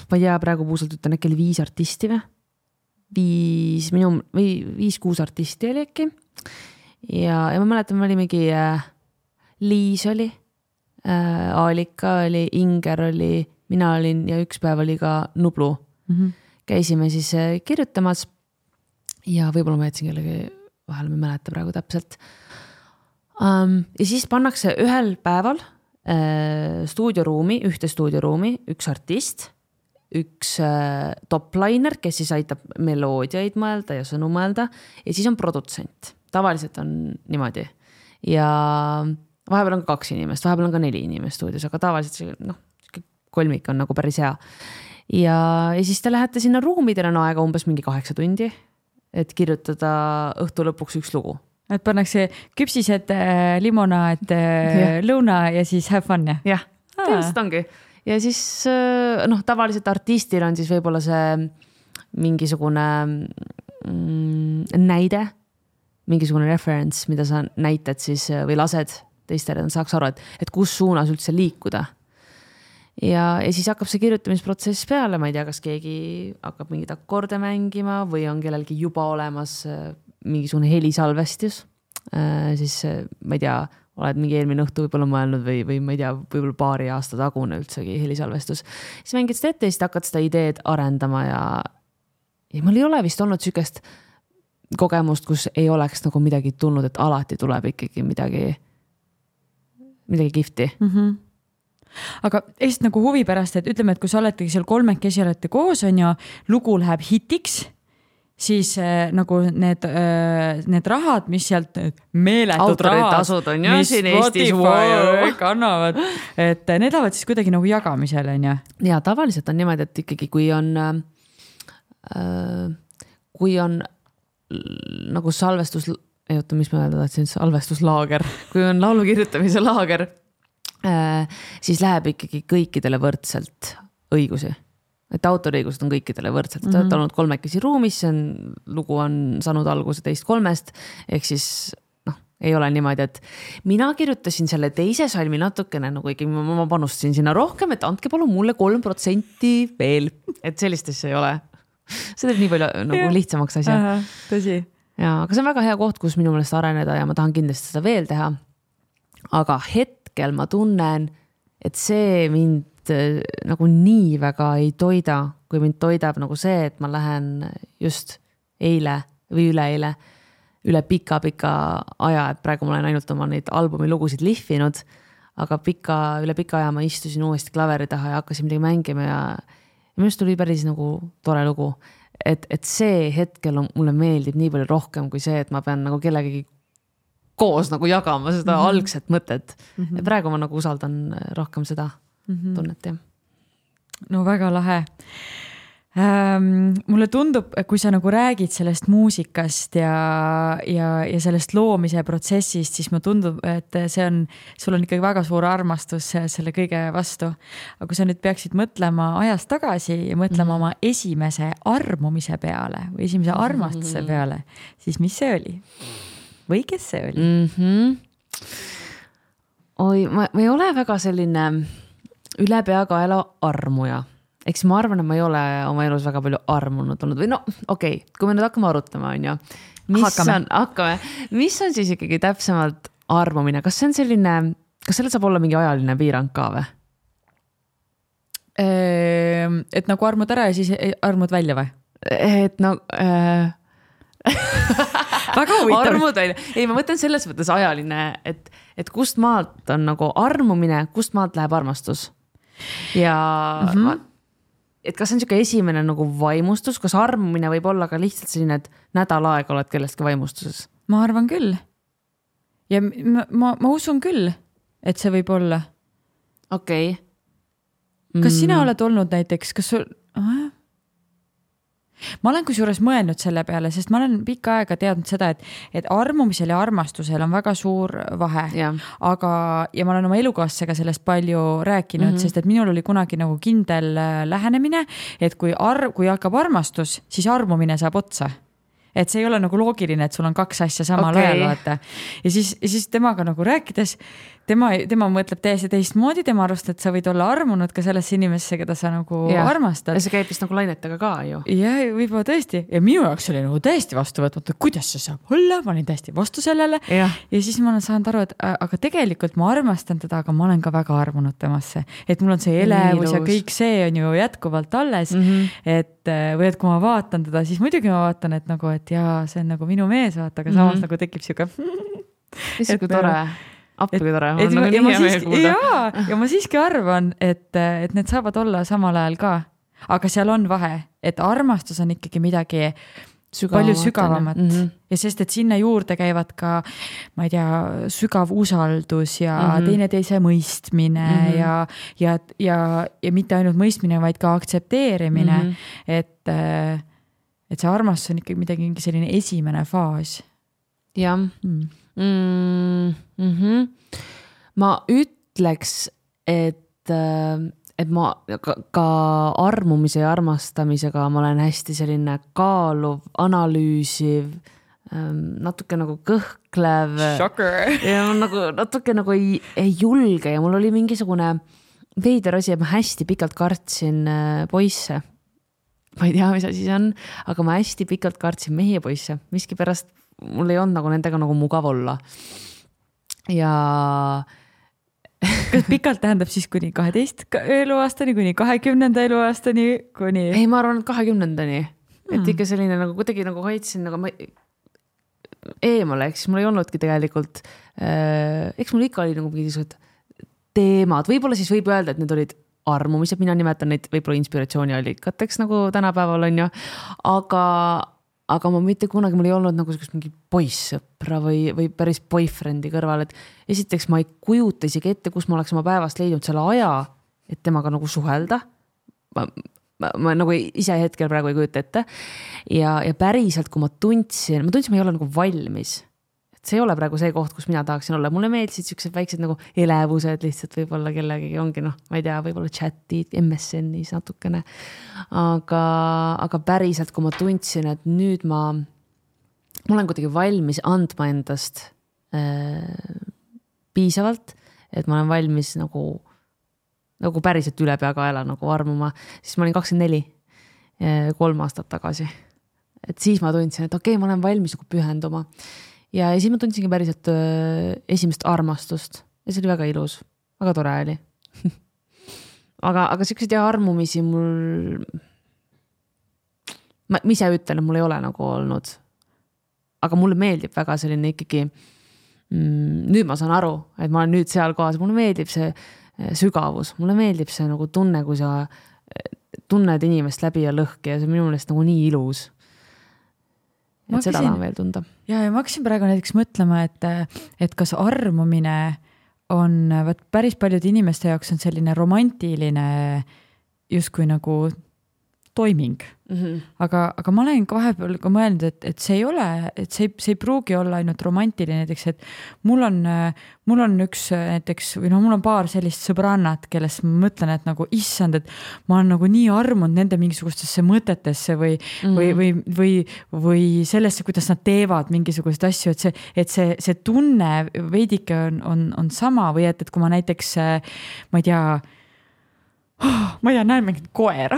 ma ei tea, praegu puusalt ütlen, äkki oli 5 artisti või? 5-6 artisti oli äkki. Ja ma mäletan, me oli mingi Liis oli, Aalika oli, Inger oli, mina olin ja üks päev oli ka Nublu. Käisime siis kirjutamas ja võib-olla ma jätsin kellegi vahel, ma ei mäleta praegu täpselt. Ja siis pannakse ühel päeval ühte stuudioruumi, üks artist, üks topliner, kes siis aitab meloodiaid mõelda ja sõnu mõelda ja siis on produtsent. Tavaliselt on niimoodi. Ja vahepeal on ka 2 inimest, vahepeal on ka 4 inimest stuudios, aga tavaliselt see kolmik on nagu päris hea. Ja siis te lähete sinna ruumi, teil on aega umbes mingi 8 tundi, et kirjutada õhtu lõpuks üks lugu. Et pannakse küpsised, limonaad, lõuna ja siis have fun, jah? Jah, tõenäoliselt ongi. Ja siis tavaliselt artistil on siis võib-olla see mingisugune näide, mingisugune reference, mida sa näitad siis või lased teistele, saaks aru, et kus suunas üldse liikuda. Ja siis hakkab see kirjutamisprotsess peale, ma ei tea, kas keegi hakkab mingid akorde mängima või on kellelgi juba olemas mingisugune helisalvestus, siis ma ei tea, oled mingi eelmine õhtu võib-olla mõelnud või ma ei tea, võib-olla paari aasta tagune üldsegi helisalvestus. Siis mängid seda ette ja siis hakkad seda ideed arendama ja mul ei ole vist olnud sükest kogemust, kus ei oleks nagu midagi tulnud, et alati tuleb ikkagi midagi kihvti. Aga Eesti nagu huvi pärast, et ütleme, et kui sa oletegi seal 3 olete koos on ja lugu läheb hitiks, siis nagu need rahad, mis sealt meeletud rahad, mis Spotify kannavad, et need lähevad siis kuidagi nagu jagamisele, on ju? Ja tavaliselt on niimoodi, et ikkagi kui on nagu salvestus, mis ma öelda tahtsin, salvestuslaager, kui on laulu kirjutamise laager, siis läheb ikkagi kõikidele võrdselt õigusi. Et autoriõigused on kõikidele võrdselt. Ta on olnud 3 ruumis, lugu on saanud alguse 2-3, ehk siis ei ole niimoodi, et mina kirjutasin selle teise salmi natukene nagu ikkagi ma panustasin sinna rohkem, et andke palun mulle 3% veel, et sellist asja ei ole. See teeb nii palju nagu lihtsamaks asja. Tõsi. Ja, aga see on väga hea koht, kus minu meelest areneda ja ma tahan kindlasti seda veel teha. Aga hetkel ma tunnen, et see mind nagu nii väga ei toida, kui mind toidab nagu see, et ma lähen just eile või üle pika aja, et praegu ma olen ainult oma neid albumi lugusid lihvinud, aga üle pika aja ma istusin uuesti klaveri taha ja hakkasin midagi mängima ja minu arust tuli päris nagu tore lugu, et see hetkel mulle meeldib nii palju rohkem kui see, et ma pean nagu kellegi koos nagu jagama seda algset mõtet. Ja praegu ma nagu usaldan rohkem seda tunnet. Ja. No väga lahe. Mulle tundub, kui sa nagu räägid sellest muusikast ja sellest loomise protsessist, siis mulle tundub, et sul on ikkagi väga suur armastus selle kõige vastu. Aga kui sa nüüd peaksid mõtlema ajast tagasi ja mõtlema oma esimese armumise peale või esimese armastuse peale, siis mis see oli? Või kes see oli? Oi, ma ei ole väga selline üle peakaela armuja. Eks ma arvan, et ma ei ole oma elus väga palju armunud olnud või okei, kui me nüüd hakkame arutama, on ju. Mis on siis ikkagi täpsemalt armumine? Kas see on selline, kas sellel saab olla mingi ajaline piirang ka või? Et nagu armud ära ja siis armud välja või? Et väga huvitav. Armud välja. Ei, ma mõtlen selles mõttes ajaline, et kust maalt on nagu armumine, kust maalt läheb armastus? Ja et kas see on siuke esimene nagu vaimustus, kas armumine võib olla ka lihtsalt selline, et nädal aega oled kellestki vaimustuses? Ma arvan küll. Ja ma usun küll, et see võib olla. Okei. Kas sina oled olnud näiteks, kas sul... Ma olen kusjuures mõelnud selle peale, sest ma olen pikka aega teadnud seda, et armumisel ja armastusel on väga suur vahe. Ja ma olen oma elukaaslasega sellest palju rääkinud, sest et minul oli kunagi nagu kindel lähenemine, et kui hakkab armastus, siis armumine saab otsa. Et see ei ole nagu loogiline, et sul on kaks asja samal ajal vaata. Ja siis temaga nagu rääkides, tema mõtleb täiesti teistmoodi, tema arvast, et sa võid olla armunud ka sellesse inimesse, keda sa nagu armastad. Ja see käib vist nagu lainetega ka ju. Ja võib-olla tõesti. Ja minu jaoks oli nagu täiesti vastu võtmata, kuidas see saab olla, ma olin täiesti vastu sellele. Ja siis ma olen saanud aru, et aga tegelikult ma armastan teda, aga ma olen ka väga armunud temasse. Et mul on see elevus ja kõik see on ju jätkuvalt alles. Või et kui ma vaatan teda, siis muidugi ma vaatan, et nagu, et jaa, see on nagu minu mees, vaata, aga samas nagu tekib siuke Isegi tore. Appi tore. Ja ma siiski arvan, et need saavad olla samal ajal ka. Aga seal on vahe, et armastus on ikkagi midagi palju sügavamat. Ja sest, et sinna juurde käivad ka, ma ei tea, sügav usaldus ja teineteise mõistmine ja mitte ainult mõistmine, vaid ka aktsepteerimine. Et see armastus on ikkagi midagi selline esimene faas. Jah. Ma ütleks, et ma ka armumise ja armastamisega ma olen hästi selline kaaluv, analüüsiv, natuke nagu kõhklev. Shocker. Ja nagu, natuke nagu ei julge ja mul oli mingisugune veider asi, et ma hästi pikalt kartsin poisse. Ma ei tea, mis asi see on, aga ma hästi pikalt kartsin mehi ja poisse. Miski pärast mul ei olnud nagu nendega nagu mugav olla. Ja kas pikalt tähendab siis kuni 12 eluaastani, kuni 20. eluaastani, kuni... Ei, ma arvan, et 20-ndani. Et ikka selline nagu kuidagi nagu hoidsin, nagu ma eemale, eks mul ei olnudki tegelikult, eks mul ikka oli nagu mingisugused teemad, võib-olla siis võib öelda, et need olid armumised, mina nimetan neid võib-olla inspiratsiooniallikateks nagu tänapäeval on ju, aga ma mitte kunagi, mul ei olnud nagu mingi poissõpra või päris boyfriendi kõrval, et esiteks ma ei kujuta isegi ette, kus ma oleks oma päevast leidnud selle aja, et temaga nagu suhelda. Ma nagu ise hetkel praegu ei kujuta ette. Ja päriselt, kui ma tundsin, ma ei ole nagu valmis. Et see ei ole praegu see koht, kus mina tahaksin olla. Mulle meeldisid siuksed väiksed nagu elevused lihtsalt võib-olla kellegi ongi, ma ei tea, võib-olla chatid, MSN-is natukene. Aga päriselt, kui ma tundsin, et nüüd ma olen kuidagi valmis andma endast piisavalt, et ma olen valmis nagu päriselt üle peakaela nagu armuma, siis ma olin 24, 3 aastat tagasi. Et siis ma tundsin, et okei, ma olen valmis nagu pühenduma. Ja siis ma tundsingi päriselt esimest armastust ja see oli väga ilus, väga tore oli. aga sellised armumisi mul, ma ise ütlen, et mul ei ole nagu olnud, aga mulle meeldib väga selline ikkagi, nüüd ma saan aru, et ma olen nüüd seal kohas, mulle meeldib see sügavus, mulle meeldib see nagu tunne, kui sa tunned inimest läbi ja lõhki ja see on minu meelest nagu nii ilus. Et seda tahan veel tunda. Ja ma hakkasin praegu näiteks mõtlema, et kas armumine on, päris paljude inimeste jaoks on selline romantiline justkui nagu toiming. Aga ma olen vahepeal ka mõelnud, et see ei ole, et see ei pruugi olla ainult romantiline, näiteks, et mul on üks näiteks, või mul on paar sellist sõbrannat, kellest ma mõtlen, et nagu issand, et ma olen nagu nii armunud nende mingisugustesse mõtetesse või sellesse, kuidas nad teevad mingisugust asju, et see tunne veidike on sama või et kui ma näiteks, ma ei tea, näen mingit koera.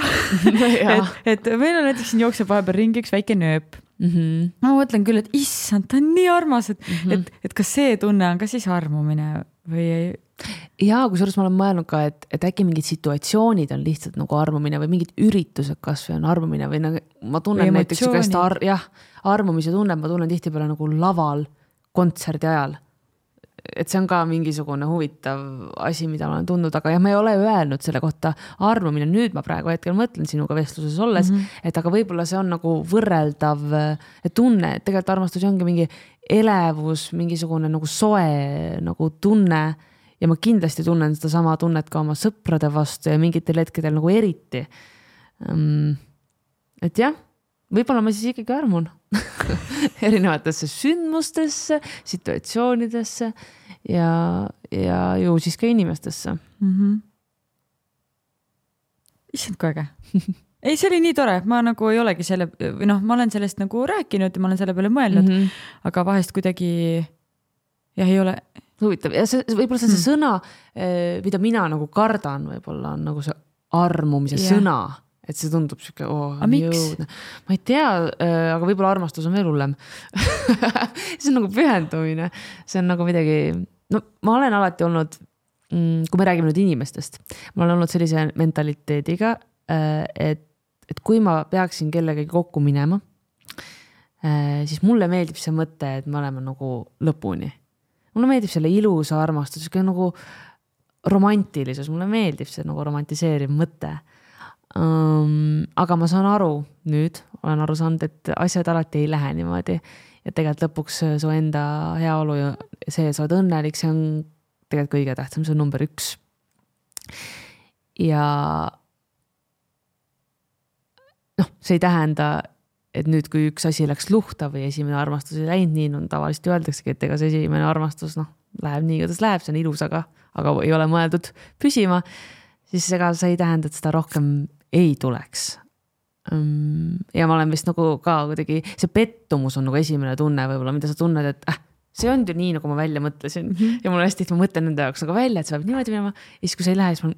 et meil on näiteks siin jookseb vahepeal ringi üks väike nööp. Ma mõtlen küll, et issand, ta on nii armas, et kas see tunne on ka siis armumine või ei? Ja kusjuures ma olen mõelnud ka, et äkki mingid situatsioonid on lihtsalt nagu armumine või mingid üritused kasvõi on armumine või nagu, ma tunnen näiteks armumise tunne, ma tunnen tihtipeale nagu laval kontserdi ajal. Et see on ka mingisugune huvitav asi, mida ma olen tundnud, aga ma ei ole öelnud selle kohta armumine. Nüüd ma praegu hetkel mõtlen sinuga vestluses olles, et aga võib-olla see on nagu võrreldav tunne, et tegelikult armastus ongi mingi elevus, mingisugune nagu soe nagu tunne ja ma kindlasti tunnen seda sama tunnet ka oma sõprade vastu ja mingitel hetkedel nagu eriti. Et jah, võib-olla ma siis ikkagi armun erinevatesse sündmustesse, situatsioonidesse ja ju siis ka inimestesse. Issand, kui äge. Ei, see oli nii tore, ma nagu ei olegi selle, või ma olen sellest nagu rääkinud ja ma olen selle peale mõelnud, aga vahest kuidagi ei ole huvitav. Ja võib-olla see sõna, mida mina nagu kardan, võib-olla on nagu see armumise sõna. Et see tundub siuke, jõudne. Ma ei tea, aga võib-olla armastus on veel hullem. See on nagu pühendumine. See on nagu midagi, ma olen alati olnud, kui me räägime nüüd inimestest, ma olen olnud sellise mentaliteediga, et kui ma peaksin kellegagi kokku minema, siis mulle meeldib see mõte, et me oleme nagu lõpuni. Mulle meeldib selle ilusa armastus, nagu romantilisus, mulle meeldib see nagu romantiseeriv mõte. Aga ma saan aru nüüd, olen aru saanud, et asjad alati ei lähe niimoodi ja tegelikult lõpuks su enda heaolu ja see, sa oled õnnelik, see on tegelikult kõige tähtsam, see on number 1 ja see ei tähenda, et nüüd kui üks asi läks luhta või esimene armastus ei läinud nii, tavaliselt öeldaksegi, et ega see esimene armastus läheb nii, kuidas läheb, see on ilus, aga ei ole mõeldud püsima, siis ega see ei tähenda, et seda rohkem ei tuleks. Ja ma olen vist nagu ka kuidagi, see pettumus on nagu esimene tunne võib-olla, mida sa tunned, et see on ju nii, nagu ma välja mõtlesin ja mul hästi, et ma mõtlen nende jaoks nagu välja, et see peab niimoodi minema ja siis, kui see ei lähe, siis ma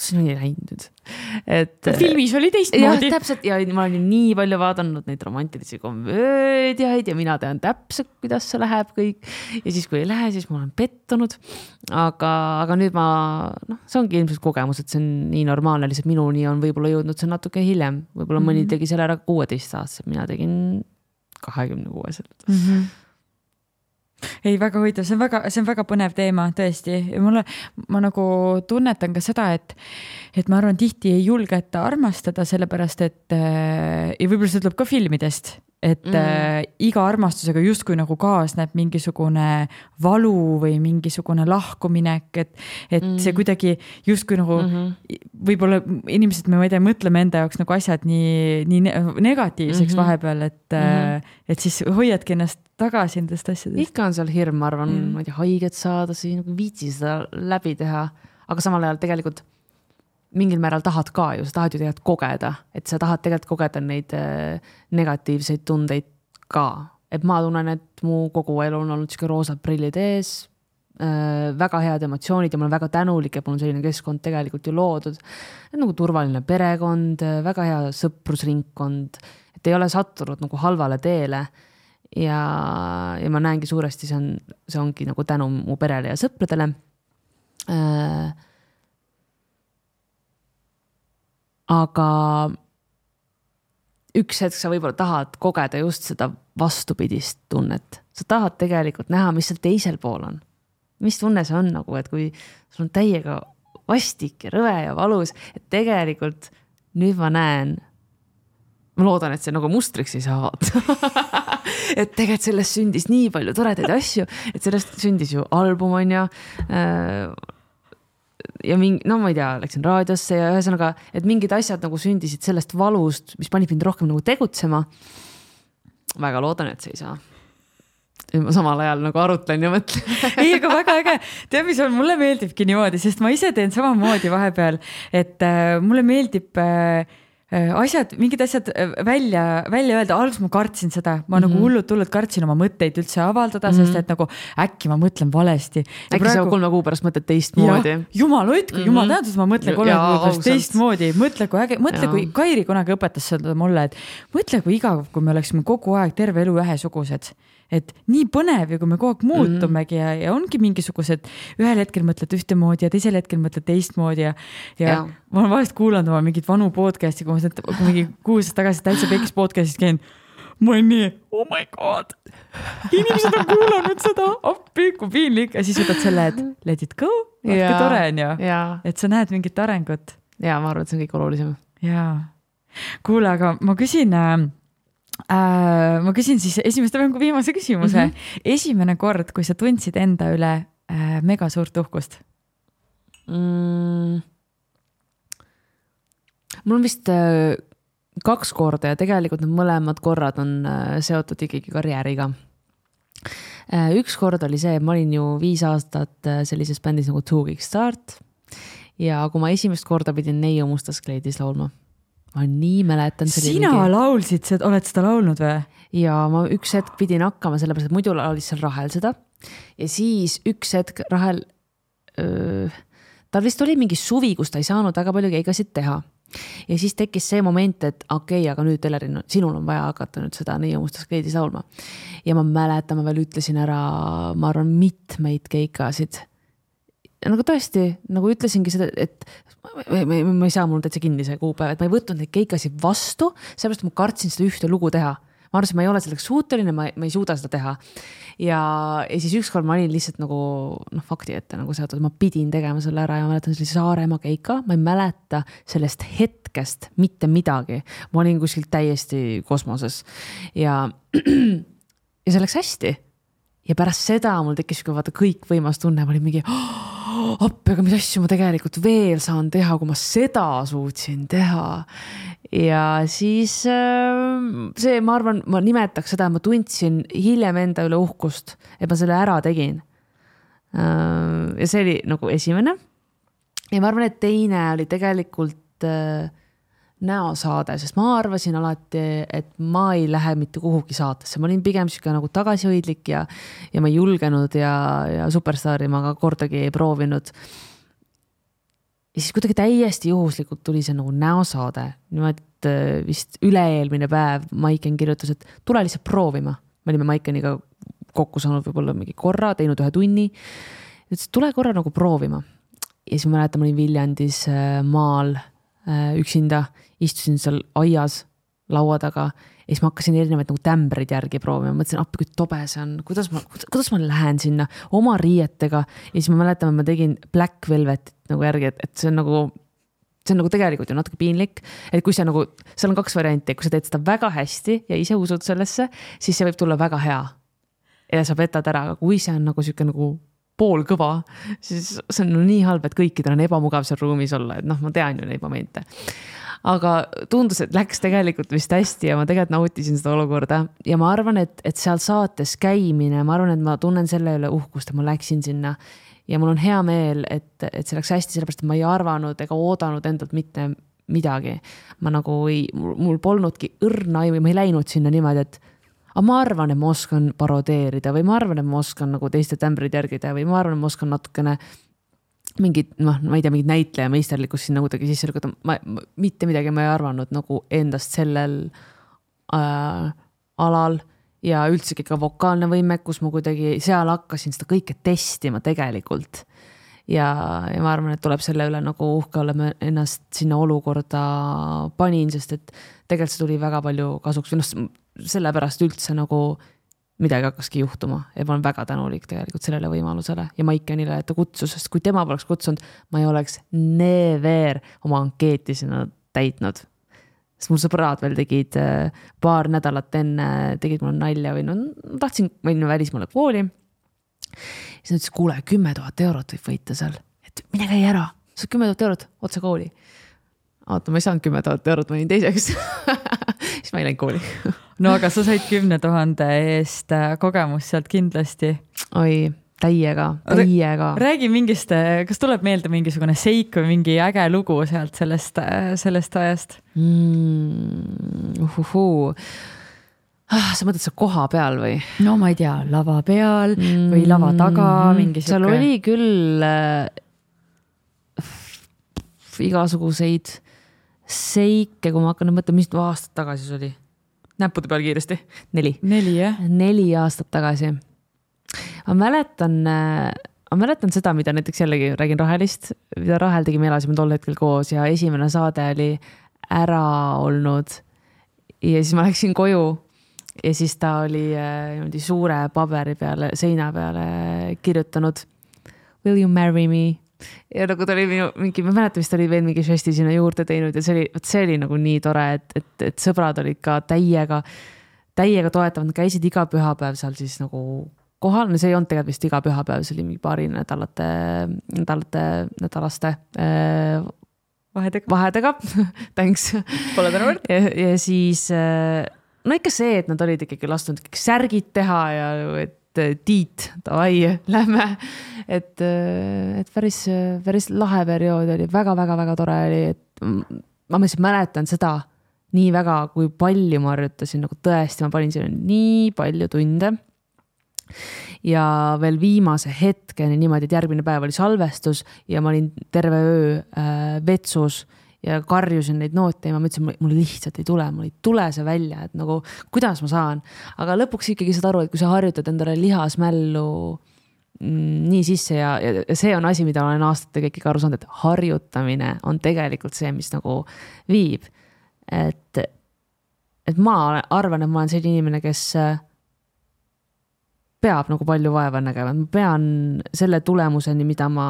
see on nii läinud. Filmis oli teistmoodi. Ja täpselt, ja ma olen nii palju vaadanud neid romantilisi komöödiaid ja mina tean täpselt, kuidas see läheb kõik. Ja siis, kui ei lähe, siis ma olen pettunud. Aga nüüd see ongi ilmselt kogemus, et see on nii normaalne, lihtsalt minuni on võib-olla jõudnud see natuke hiljem. Võib-olla mõni tegi selle ära 16 aastaselt, mina tegin 26. Ei, väga huvitav, see on väga põnev teema, tõesti. Ma nagu tunnetan ka seda, et ma arvan, tihti ei julgeta armastada, sellepärast, et ja võib-olla see tuleb ka filmidest, et iga armastusega justkui nagu kaasneb mingisugune valu või mingisugune lahkuminek, et see kuidagi justkui nagu võib-olla inimesed, me mõtleme enda jaoks nagu asjad nii negatiivseks vahepeal, et siis hoiadki ennast tagasi endast asjadest. Ikka on seal hirm, ma arvan, ma ei tea, haiget saada, siis nagu viitsi seda läbi teha, aga samal ajal tegelikult mingil määral tahad ka ju, sa tahad ju tegelikult kogeda, et sa tahad tegelikult kogeda neid negatiivseid tundeid ka et ma tunnen, et mu kogu elu on olnud siuke roosad prillid ees, väga head emotsioonid ja ma olen väga tänulik, et mul on selline keskkond tegelikult ju loodud. Nagu turvaline perekond, väga hea sõprusringkond, et ei ole sattunud nagu halvale teele ja ma näengi suuresti, see ongi nagu tänu mu perele ja sõpradele. Aga üks hetk sa võib-olla tahad kogeda just seda vastupidist tunnet. Sa tahad tegelikult näha, mis seal teisel pool on. Mis tunne see on nagu, et kui sul on täiega vastik ja rõve ja valus, et tegelikult nüüd ma näen, ma loodan, et see nagu mustriks ei saa et tegelikult sellest sündis nii palju toredaid asju, et sellest sündis ju album on ja no ma ei tea, läksin raadiosse ja ühesõnaga, et mingid asjad nagu sündisid sellest valust, mis panib mind rohkem nagu tegutsema. Väga loodan, et see ei saa. Ma samal ajal nagu arutlen ja mõtlen. Ei, aga väga äge. Tead, mis on, mulle meeldibki niimoodi, sest ma ise teen samamoodi vahepeal, et mulle meeldib mingid asjad välja öelda. Alguses ma kartsin seda, ma nagu hullult kartsin oma mõtteid üldse avaldada, sest et nagu äkki ma mõtlen valesti. Äkki sa 3 kuu pärast mõtled teistmoodi. Jumal hoidku, jumal tähendus, ma mõtlen 3 kuu pärast teistmoodi. Mõtle, kui Kairi kunagi õpetas seda mulle, et mõtle, kui igav, kui me oleksime kogu aeg terve elu ühesugused. Et nii põnev ja kui me kogu aeg muutumegi ja ongi mingisugused, ühel hetkel mõtled ühtemoodi ja teisel hetkel mõtled teistmoodi ja ma olen vahest kuulanud oma mingid vanu podcasti, kui ma mingi 6 aastat tagasi täitsa pekis podcastis käin, ma olen nii, oh my god, inimesed on kuulanud seda, appi, kui piinlik ja siis võtad selle, et let it go, vaatke tore on ju, et sa näed mingit arengut. Ja ma arvan, et see on kõik olulisem. Jaa, kuule, aga ma küsin siis esimeste mängu viimase küsimuse. Esimene kord, kui sa tundsid enda üle mega suurt uhkust? Mul on vist 2 korda ja tegelikult need mõlemad korrad on seotud ikkagi karjääriga. Üks kord oli see, ma olin ju 5 aastat sellises bändis nagu Two Weeks Start ja kui ma esimest korda pidin Neiu Mustas kleidis laulma. Ma nii mäletan. Sina laulsid, oled seda laulnud või? Ja ma üks hetk pidin hakkama, sellepärast, et muidu laulis seal Rahel seda. Ja siis üks hetk Rahel, tal vist oli mingi suvi, kus ta ei saanud väga palju keigasid teha. Ja siis tekkis see moment, et okei, aga nüüd Elerin, sinul on vaja hakata nüüd seda Neiu Mustas kleidis laulma. Ja ma mäletan, ma veel ütlesin ära, ma arvan, mitmeid keikasid. Nagu tõesti, nagu ütlesingi seda, et ma ei saa mul täitsa kinni see kuupäev, et ma ei võtnud neid keikasid vastu, sellepärast ma kartsin seda ühte lugu teha. Ma arvasin, ma ei ole selleks suuteline, ma ei suuda seda teha. Ja siis ükskord ma olin lihtsalt nagu fakti ette nagu seotud, ma pidin tegema selle ära ja ma mäletan sellise Saaremaa keika, ma ei mäleta sellest hetkest mitte midagi. Ma olin kuskilt täiesti kosmoses ja see läks hästi. Ja pärast seda mul tekkis vaata kõik võimas tunne, ma olin mingi appi, aga mis asju ma tegelikult veel saan teha, kui ma seda suutsin teha. Ja siis see, ma arvan, ma nimetaks seda, ma tundsin hiljem enda üle uhkust, et ma selle ära tegin. Ja see oli nagu esimene. Ja ma arvan, et teine oli tegelikult näosaade, sest ma arvasin alati, et ma ei lähe mitte kuhugi saatesse. Ma olin pigem siuke nagu tagasihoidlik ja ma ei julgenud ja superstaari ma ka kordagi ei proovinud. Ja siis kuidagi täiesti juhuslikult tuli see nagu näosaade. Nimelt vist üle-eelmine päev Maiken kirjutas, et tule lihtsalt proovima. Me olime Maikeniga kokku saanud võib-olla mingi korra, teinud 1 tunni. Ütles, tule korra nagu proovima. Ja siis ma mäletan, ma olin Viljandis maal üksinda, istusin seal aias laua taga ja siis ma hakkasin erinevaid nagu tämbreid järgi proovima. Ma mõtlesin, appi kui tobe see on, kuidas ma lähen sinna oma riietega ja siis ma mäletan, et ma tegin Black Velvet nagu järgi, et see on nagu tegelikult ju natuke piinlik, et kui see nagu, seal on 2 varianti, kui sa teed seda väga hästi ja ise usud sellesse, siis see võib tulla väga hea ja sa petad ära, aga kui see on nagu siuke nagu pool kõva, siis see on nii halb, et kõikidel on ebamugav seal ruumis olla, et ma tean ju neid momente. Aga tundus, et läks tegelikult vist hästi ja ma tegelikult nautisin seda olukorda ja ma arvan, et seal saates käimine, ma arvan, et ma tunnen selle üle uhkust, et ma läksin sinna ja mul on hea meel, et see läks hästi, sellepärast, et ma ei arvanud ega oodanud endalt mitte midagi. Ma nagu mul polnudki õrna või ma ei läinud sinna niimoodi, et aga ma arvan, et ma oskan parodeerida või ma arvan, et ma oskan nagu teiste tämbrid järgida või ma arvan, et ma oskan natukene mingid, ma ei tea, mingid näitleja meisterlikkust sinna kuidagi sisse lükata. Mitte midagi ma ei arvanud nagu endast sellel alal ja üldse ka vokaalne võimekus, ma kuidagi seal hakkasin seda kõike testima tegelikult. Ja ma arvan, et tuleb selle üle nagu uhke olla, ma ennast sinna olukorda panin, sest et tegelikult see tuli väga palju kasuks või sellepärast üldse nagu midagi hakkaski juhtuma ja ma olen väga tänulik tegelikult sellele võimalusele ja Maikenile, et ta kutsus, sest kui tema poleks kutsunud, ma ei oleks never oma ankeeti sinna täitnud. Sest mul sõbrad veel tegid paar nädalat enne, tegid mulle nalja või tahtsin minna välismaale kooli. Siis nad ütles, kuule, 10 000 eurot võib võita seal, et mine käi ära, sa 10 000 eurot otse kooli. Oota, ma ei saanud 10 000 eurot, ma olin teiseks. Siis ma ei läinud kooli. No aga sa said 10 000 eest kogemust sealt kindlasti. Oi, täiega. Räägi mingist, kas tuleb meelde mingisugune seik või mingi äge lugu sealt sellest ajast? Sa mõtled sa koha peal või? No ma ei tea, lava peal või lava taga. Seal oli küll igasuguseid seike, kui ma hakkan mõtlema, mis aastat tagasi see oli. Näppude peal kiiresti. 4. 4 aastat tagasi. Ma mäletan seda, mida näiteks jällegi räägin Rahelist, mida Rahel tegi, me elasime tol hetkel koos ja esimene saade oli ära olnud ja siis ma läksin koju ja siis ta oli suure paberi peale, seina peale kirjutanud Will you marry me? Ja nagu ta oli mingi, ma mäletan, vist oli veel mingi žesti sinna juurde teinud ja see oli nagu nii tore, et sõbrad olid ka täiega toetavad, nad käisid iga pühapäev seal siis nagu kohal, no see ei olnud tegelikult vist iga pühapäev, see oli mingi paari nädalaste vahedega. Thanks. Pole tänavõrd. Ja siis, no ikka see, et nad olid ikkagi lastunud särgid teha ja et Tiit, davai, lähme. Et päris lahe periood oli, väga tore oli, et ma mäletan seda nii väga, kui palju ma harjutasin, nagu tõesti, ma panin sinna nii palju tunde. Ja veel viimase hetkeni niimoodi, et järgmine päev oli salvestus ja ma olin terve öö vetsus ja karjusin neid noote ja ma mõtlesin, mul lihtsalt ei tule see välja, et nagu, kuidas ma saan. Aga lõpuks ikkagi saad aru, et kui sa harjutad endale lihasmällu nii sisse ja see on asi, mida olen aastatega ikkagi aru saanud, et harjutamine on tegelikult see, mis nagu viib. Et ma arvan, et ma olen selline inimene, kes peab nagu palju vaeva nägema. Ma pean selle tulemuseni, mida ma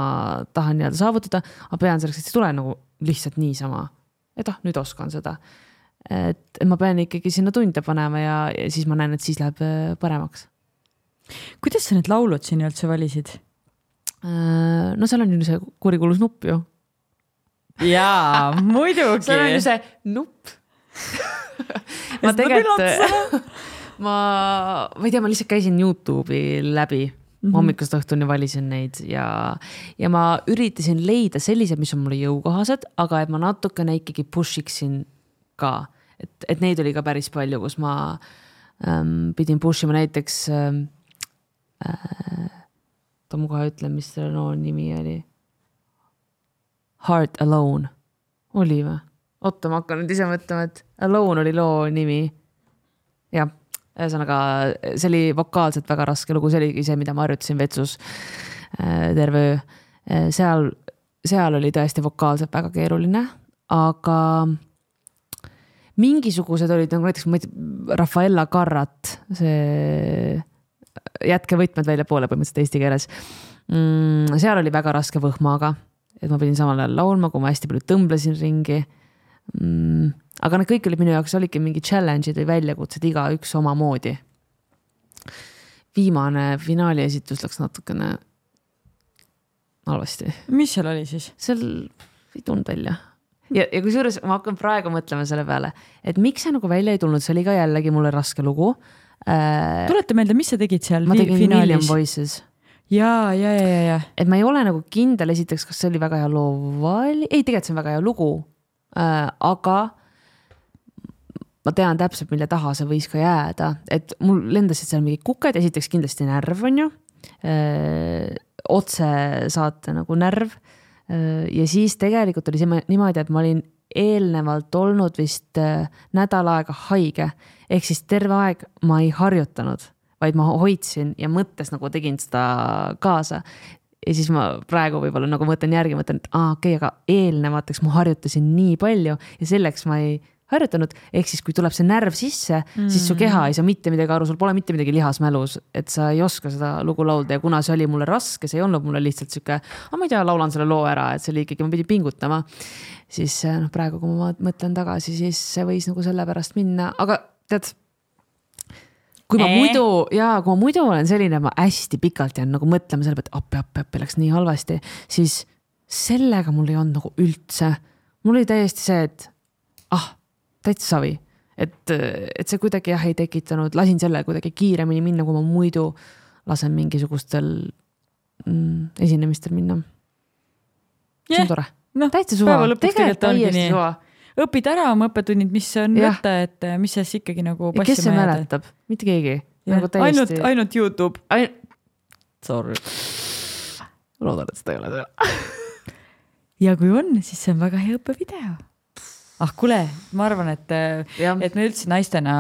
tahan saavutada, aga pean selleks, et see tule nagu lihtsalt niisama. Et nüüd oskan seda. Et ma pean ikkagi sinna tunde panema ja siis ma näen, et siis läheb paremaks. Kuidas sa need laulud siin üldse valisid? No seal on ju see kurikulus nupp ju. Jaa, muidugi. Seal on ju see nupp. Ma tegelikult... Ma ei tea, ma lihtsalt käisin YouTube'i läbi, hommikust õhtuni valisin neid ja ma üritasin leida sellised, mis on mulle jõukohased, aga et ma natukene ikkagi pushiksin ka, et neid oli ka päris palju, kus ma pidin pushima näiteks ma kohe ütlen, mis selle loo nimi oli. Heart Alone oli või? Oota, ma hakkan nüüd ise mõtlema, et Alone oli loo nimi. Jah. Ühesõnaga, see oli vokaalselt väga raske lugu, see oli see, mida ma harjutasin vetsus terve öö. Seal oli tõesti vokaalselt väga keeruline, aga mingisugused olid, nagu näiteks Rafaela Carrat, see jätke võtmed välja poole põhimõtteliselt eesti keeles. Seal oli väga raske võhmaga, et ma pidin samal ajal laulma, kui ma hästi palju tõmblesin ringi. Aga need kõik olid minu jaoks, olidki mingi challenge'id või väljakutsed iga üks oma moodi. Viimane finaali esitus läks natukene halvasti. Mis seal oli siis? Seal ei tulnud välja. Ja kui suures, ma hakkan praegu mõtlema selle peale, et miks see nagu välja ei tulnud, see oli ka jällegi mulle raske lugu. Tulete meelde, mis sa tegid seal ma tegin finaalis? Million Voices. Ja. Et ma ei ole nagu kindel esiteks, kas see oli väga hea loo vali. Ei, tegelikult see on väga hea lugu, aga ma tean täpselt, mille taha see võis ka jääda, et mul lendasid seal mingid kuked, esiteks kindlasti närv on ju, otse saate nagu närv ja siis tegelikult oli see niimoodi, et ma olin eelnevalt olnud vist nädal aega haige, ehk siis terve aeg ma ei harjutanud, vaid ma hoidsin ja mõttes nagu tegin seda kaasa. Ja siis ma praegu võib-olla nagu mõtlen järgi, mõtlen, et okei, aga eelnevateks ma harjutasin nii palju ja selleks ma ei harjutanud, ehk siis kui tuleb see närv sisse, siis su keha ei saa mitte midagi aru, sul pole mitte midagi lihasmälus, et sa ei oska seda lugu laulda ja kuna see oli mulle raske, see ei olnud mulle lihtsalt siuke, ma ei tea, laulan selle loo ära, et see oli ikkagi, ma pidin pingutama, siis praegu, kui ma mõtlen tagasi, siis see võis nagu selle pärast minna, aga tead, kui ma muidu olen selline, ma hästi pikalt jään nagu mõtlema selle pealt, appi, läks nii halvasti, siis sellega mul ei olnud nagu üldse. Mul oli täiesti see, et täitsa savi, et see kuidagi ei tekitanud, lasin selle kuidagi kiiremini minna, kui ma muidu lasen mingisugustel esinemistel minna. See on tore. Täitsa suva. Tegelikult täiesti suva. Õpid ära oma õppetunnid, mis on võtta, et mis siis ikkagi nagu passima kes see mäletab? Mitte keegi. Nagu ainult YouTube. Sorry. Loodan, et seda ei ole seda. Ja kui on, siis see on väga hea õppevideo. Kuule, ma arvan, et me üldse naistena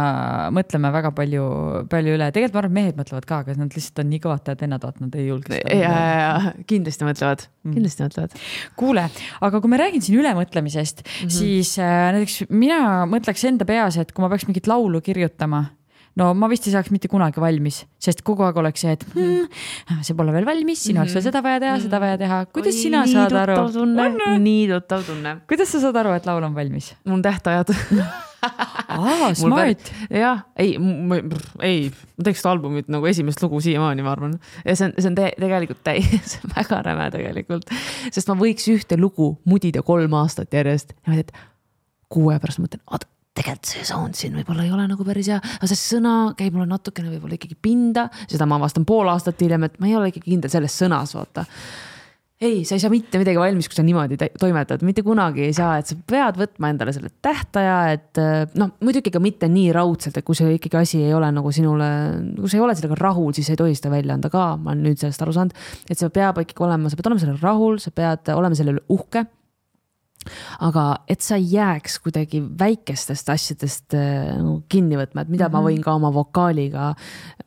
mõtleme väga palju üle. Tegelikult ma arvan, mehed mõtlevad ka, aga nad lihtsalt on nii kõvatad vennad, et nad ei julge seda. Ja, kindlasti mõtlevad. Kuule, aga kui me räägin siin ülemõtlemisest, siis näiteks mina mõtleks enda peas, et kui ma peaks mingit laulu kirjutama, no ma vist ei saaks mitte kunagi valmis, sest kogu aeg oleks see, et see pole veel valmis, sinu oleks veel seda vaja teha. Kuidas sina saad aru? Nii tuttav tunne. Kuidas sa saad aru, et laul on valmis? Mul tähtajad. Smart. Jah, ma teeks seda albumit nagu esimest lugu siiamaani, ma arvan. Ja see on tegelikult see on väga räme tegelikult, sest ma võiks ühte lugu mudida 3 aastat järjest ja ma teed 6 pärast mõtlen, tegelikult see sound siin võib-olla ei ole nagu päris hea, aga see sõna käib mulle natukene võib-olla ikkagi pinda, seda ma avastan 5 aastat hiljem, et ma ei ole ikkagi kindel selles sõnas, vaata. Ei, sa ei saa mitte midagi valmis, kui sa niimoodi toimetad, mitte kunagi ei saa, et sa pead võtma endale selle tähtaja, et muidugi ka mitte nii raudselt, et kui see ikkagi asi ei ole nagu sinule, kui sa ei ole sellega rahul, siis ei tohi seda välja anda ka, ma olen nüüd sellest aru saanud, et sa peab ikkagi olema, sa pead olema selle rahul, sa pead olema selle uhke. Aga et sa jääks kuidagi väikestest asjadest kinni võtma, et mida ma võin ka oma vokaaliga,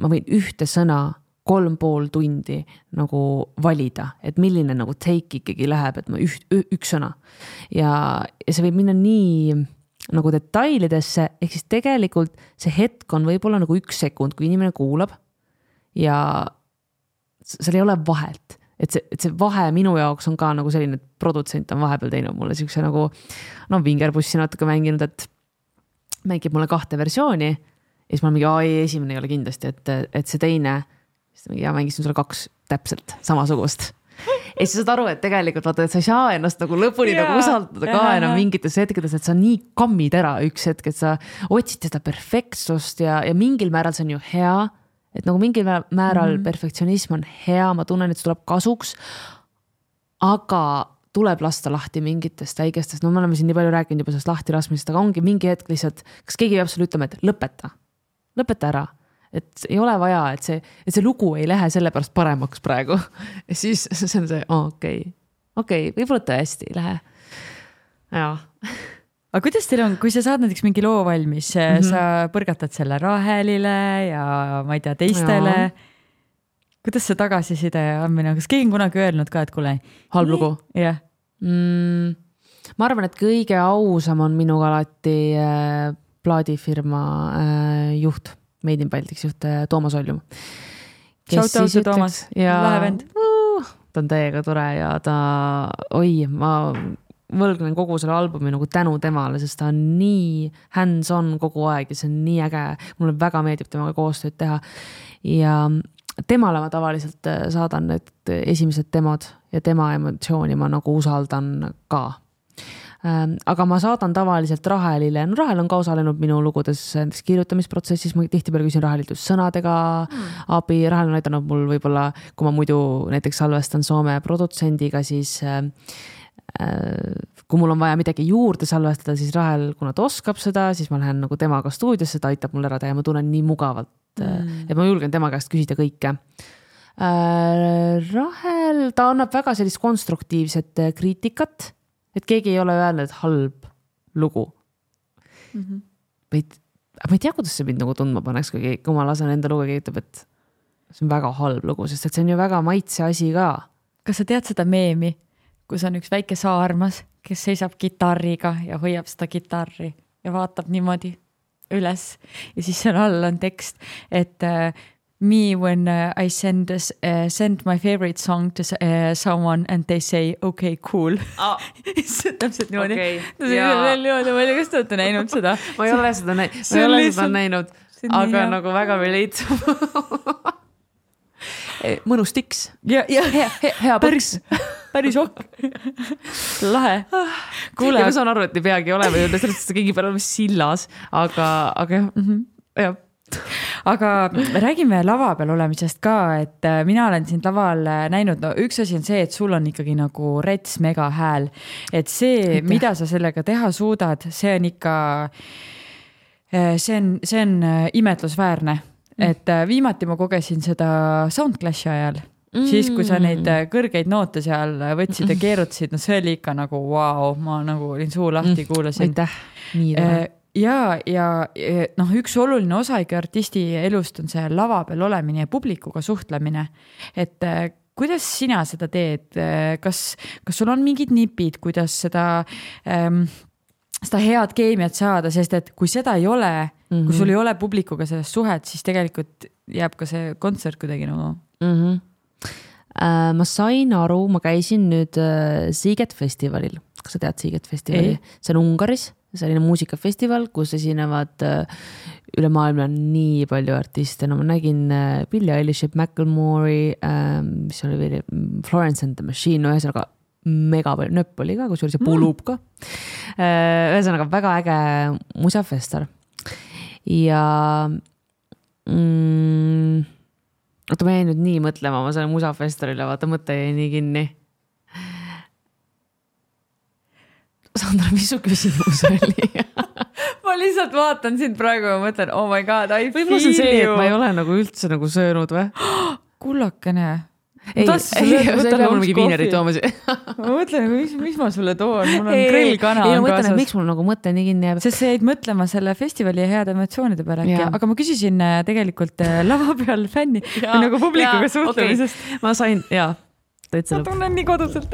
ma võin ühte sõna 3,5 tundi nagu valida, et milline nagu take ikkagi läheb, et ma üks sõna ja see võib minna nii nagu detailidesse, ehk siis tegelikult see hetk on võib-olla nagu 1 sekund, kui inimene kuulab ja seal ei ole vahet. Et see vahe minu jaoks on ka nagu selline, et produtsent on vahepeal teinud mulle siukse nagu vingerpussi natuke mänginud, et mängib mulle 2 versiooni ja siis ma mingi, esimene ei ole kindlasti, et see teine mängisin sulle 2 täpselt samasugust. Ja siis saad aru, et tegelikult vaata, et sa ei saa ennast nagu lõpuni nagu usaldada ka enam mingites hetkedes, et sa nii kammid ära üks hetk, et sa otsid seda perfektsust ja mingil määral see on ju hea, et nagu mingil määral perfektsionism on hea, ma tunnen, et see tuleb kasuks, aga tuleb lasta lahti mingitest väikestest, me oleme siin nii palju rääkinud juba sellest lahti laskmisest, aga ongi mingi hetk lihtsalt, kas keegi peab sulle ütlema, et lõpeta ära, et ei ole vaja, et see lugu ei lähe selle pärast paremaks praegu. Ja siis see on see, okei, võib-olla tõesti ei lähe. Jaa. Aga kuidas teil on, kui sa saad näiteks mingi loo valmis, sa põrgatad selle Rahelile ja ma ei tea teistele, kuidas see tagasiside andmine, kas keegi on kunagi öelnud ka, et kuule halb lugu? Jah. Ma arvan, et kõige ausam on minuga alati plaadifirma juht, Made in Baltics juht Toomas Oljum. Shout out to Toomas, lahe vend. Ta on täiega tore ja ma võlgnen kogu selle albumi nagu tänu temale, sest ta on nii hands-on kogu aeg ja see on nii äge. Mulle väga meeldib temaga koostööd teha ja temale ma tavaliselt saadan need esimesed demod ja tema emotsiooni ma nagu usaldan ka. Aga ma saadan tavaliselt Rahelile. No Rahel on ka osalenud minu lugudes kirjutamisprotsessis. Ma tihtipeale küsin Rahelilt just sõnadega abi. Rahel on aidanud mul võib-olla, kui ma muidu näiteks salvestan Soome produtsendiga, siis kui mul on vaja midagi juurde salvestada, siis Rahel, kuna ta oskab seda, siis ma lähen nagu temaga stuudiosse, ta aitab mul ära teha ja ma tunnen nii mugavalt, et ma julgen tema käest küsida kõike. Rahel, ta annab väga sellist konstruktiivset kriitikat, et keegi ei ole öelnud, et halb lugu. Ma ei tea, kuidas see mind nagu tundma paneks, kui ma lasen enda lugu, keegi ütleb, et see on väga halb lugu, sest et see on ju väga maitse asi ka. Kas sa tead seda meemi, kus on üks väike saarmas, kes seisab kitarriga ja hoiab seda kitarri ja vaatab niimoodi üles ja siis seal all on tekst, et me when I send my favorite song to someone and they say okay, cool. Täpselt niimoodi. Ma ei tea, kas te olete näinud seda? Ma ei ole seda näinud, aga nagu väga relatable. Mõnus tiks. Hea põks. Päris ok. Lahe. Kuule, ma saan aru, et ei peagi olema, sellest keegi peal olema sillas, aga jah. Aga räägime lava peal olemisest ka, et mina olen sind laval näinud, no üks asi on see, et sul on ikkagi nagu rets mega hääl, et see, mida sa sellega teha suudad, see on ikka, see on imetlusväärne, et viimati ma kogesin seda Soundclashi ajal, siis kui sa neid kõrgeid noote seal võtsid ja keerutasid, no see oli ikka nagu wow, ma nagu olin suu lahti, kuulasin. Aitäh, nii tore. Ja noh, üks oluline osa ikka artisti elust on see lava peal olemine ja publikuga suhtlemine, et kuidas sina seda teed, kas sul on mingid nipid, kuidas seda head keemiat saada, sest et kui seda ei ole, kui sul ei ole publikuga sellest suhet, siis tegelikult jääb ka see kontsert kuidagi nagu. Ma sain aru, ma käisin nüüd Siiget festivalil, kas sa tead Siiget festivali? See on Ungaris, selline muusikafestival, kus esinevad üle maailma nii palju artiste. No ma nägin Billie Eilish, Macklemore'i, mis oli veel Florence and the Machine, no ühesõnaga mega palju, nöpp oli ka, kus oli see puuluup ka. Ühesõnaga väga äge musafestar. Ja oota, ma jäin nüüd nii mõtlema, ma sain musafestarile, vaata mõte jäi nii kinni. Sandra, mis su küsimus oli? Ma lihtsalt vaatan sind praegu ja mõtlen, oh my god, I feel you. Võib-olla see, et ma ei ole nagu üldse nagu söönud või? Kullakene. Ei pea mul mingi viinerit tooma. Ma mõtlen, mis ma sulle toon? Mul on grillkana kaasas. Ma mõtlen, et miks mul nagu mõte nii kinni jääb. Sest sa jäid mõtlema selle festivali heade emotsioonide peale. Aga ma küsisin tegelikult lava peal fänni või nagu publikuga suhtlemisest. Okay. Ma sain, ma tunnen nii koduselt.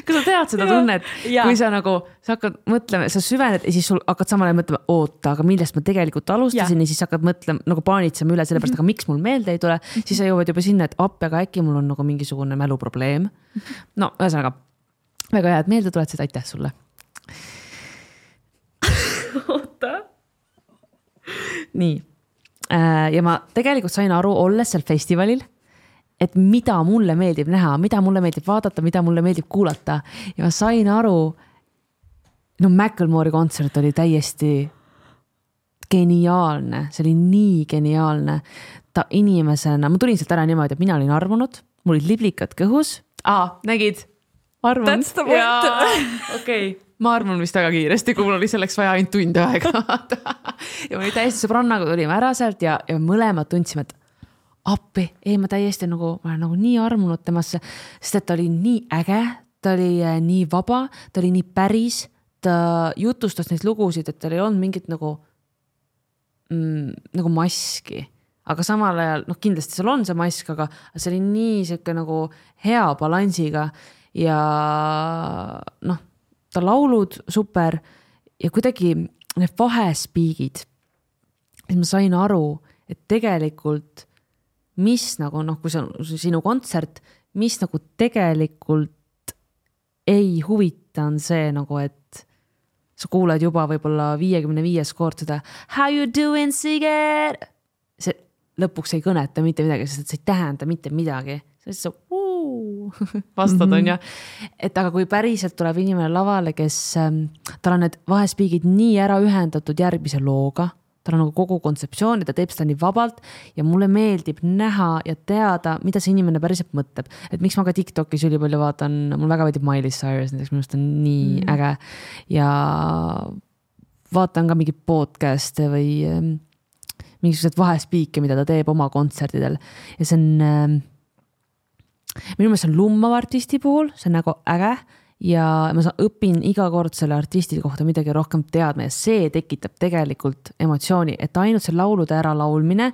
Kas sa tead seda tunnet, kui sa nagu, sa hakkad mõtlema, sa süvened ja siis sul hakkad samal ajal mõtlema, oota, aga millest ma tegelikult alustasin ja siis hakkad mõtlema, nagu paanitsema üle selle pärast, aga miks mul meelde ei tule, siis sa jõuad juba sinna, et appi, aga äkki mul on nagu mingisugune mäluprobleem. No, ühesõnaga, väga hea, et meelde tuletasid, aitäh sulle. Oota. Nii. Ja ma tegelikult sain aru, olles seal festivalil, et mida mulle meeldib näha, mida mulle meeldib vaadata, mida mulle meeldib kuulata. Ja ma sain aru, no Macklemore'i kontsert oli täiesti geniaalne, see oli nii geniaalne. Ta inimesena, ma tulin sealt ära niimoodi, et mina olin armunud, mul olid liblikad kõhus. Nägid? Armun. That's the point. Okay. Ma armun vist väga kiiresti, kui mul oli selleks vaja ainult tund aega. Ja ma oli täiesti sõbrannaga, tulime ära sealt ja mõlemad tundsime, et appi, ma täiesti nagu, ma olen nagu nii armunud temasse, sest et ta oli nii äge, ta oli nii vaba, ta oli nii päris, ta jutustas neid lugusid, et tal ei olnud mingit nagu maski. Aga samal ajal, kindlasti seal on see mask, aga see oli nii selline nagu hea balansiga ja ta laulud super ja kuidagi need vahespiigid, et ma sain aru, et tegelikult mis nagu, kui see on sinu kontsert, mis nagu tegelikult ei huvita on see nagu, et sa kuuled juba võib-olla 55 kord seda How you doing, Siiget? See lõpuks ei kõneta mitte midagi, sest see ei tähenda mitte midagi. See on see vastad on ja. Et aga kui päriselt tuleb inimene lavale, kes tal on need vahespiigid nii ära ühendatud järgmise looga, tal on nagu kogu kontseptsioon ja ta teeb seda nii vabalt ja mulle meeldib näha ja teada, mida see inimene päriselt mõtleb. Et miks ma ka TikTokis ülipalju vaatan, mul väga meeldib Miley Cyrus, näiteks minust on nii äge ja vaatan ka mingi podcast'e või mingisugused vahespiike, mida ta teeb oma kontserdidel ja see on minu meelest see on lummav artisti puhul, see on nagu äge ja ma õpin iga kord selle artisti kohta midagi rohkem teadma ja see tekitab tegelikult emotsiooni, et ainult see laulude ära laulmine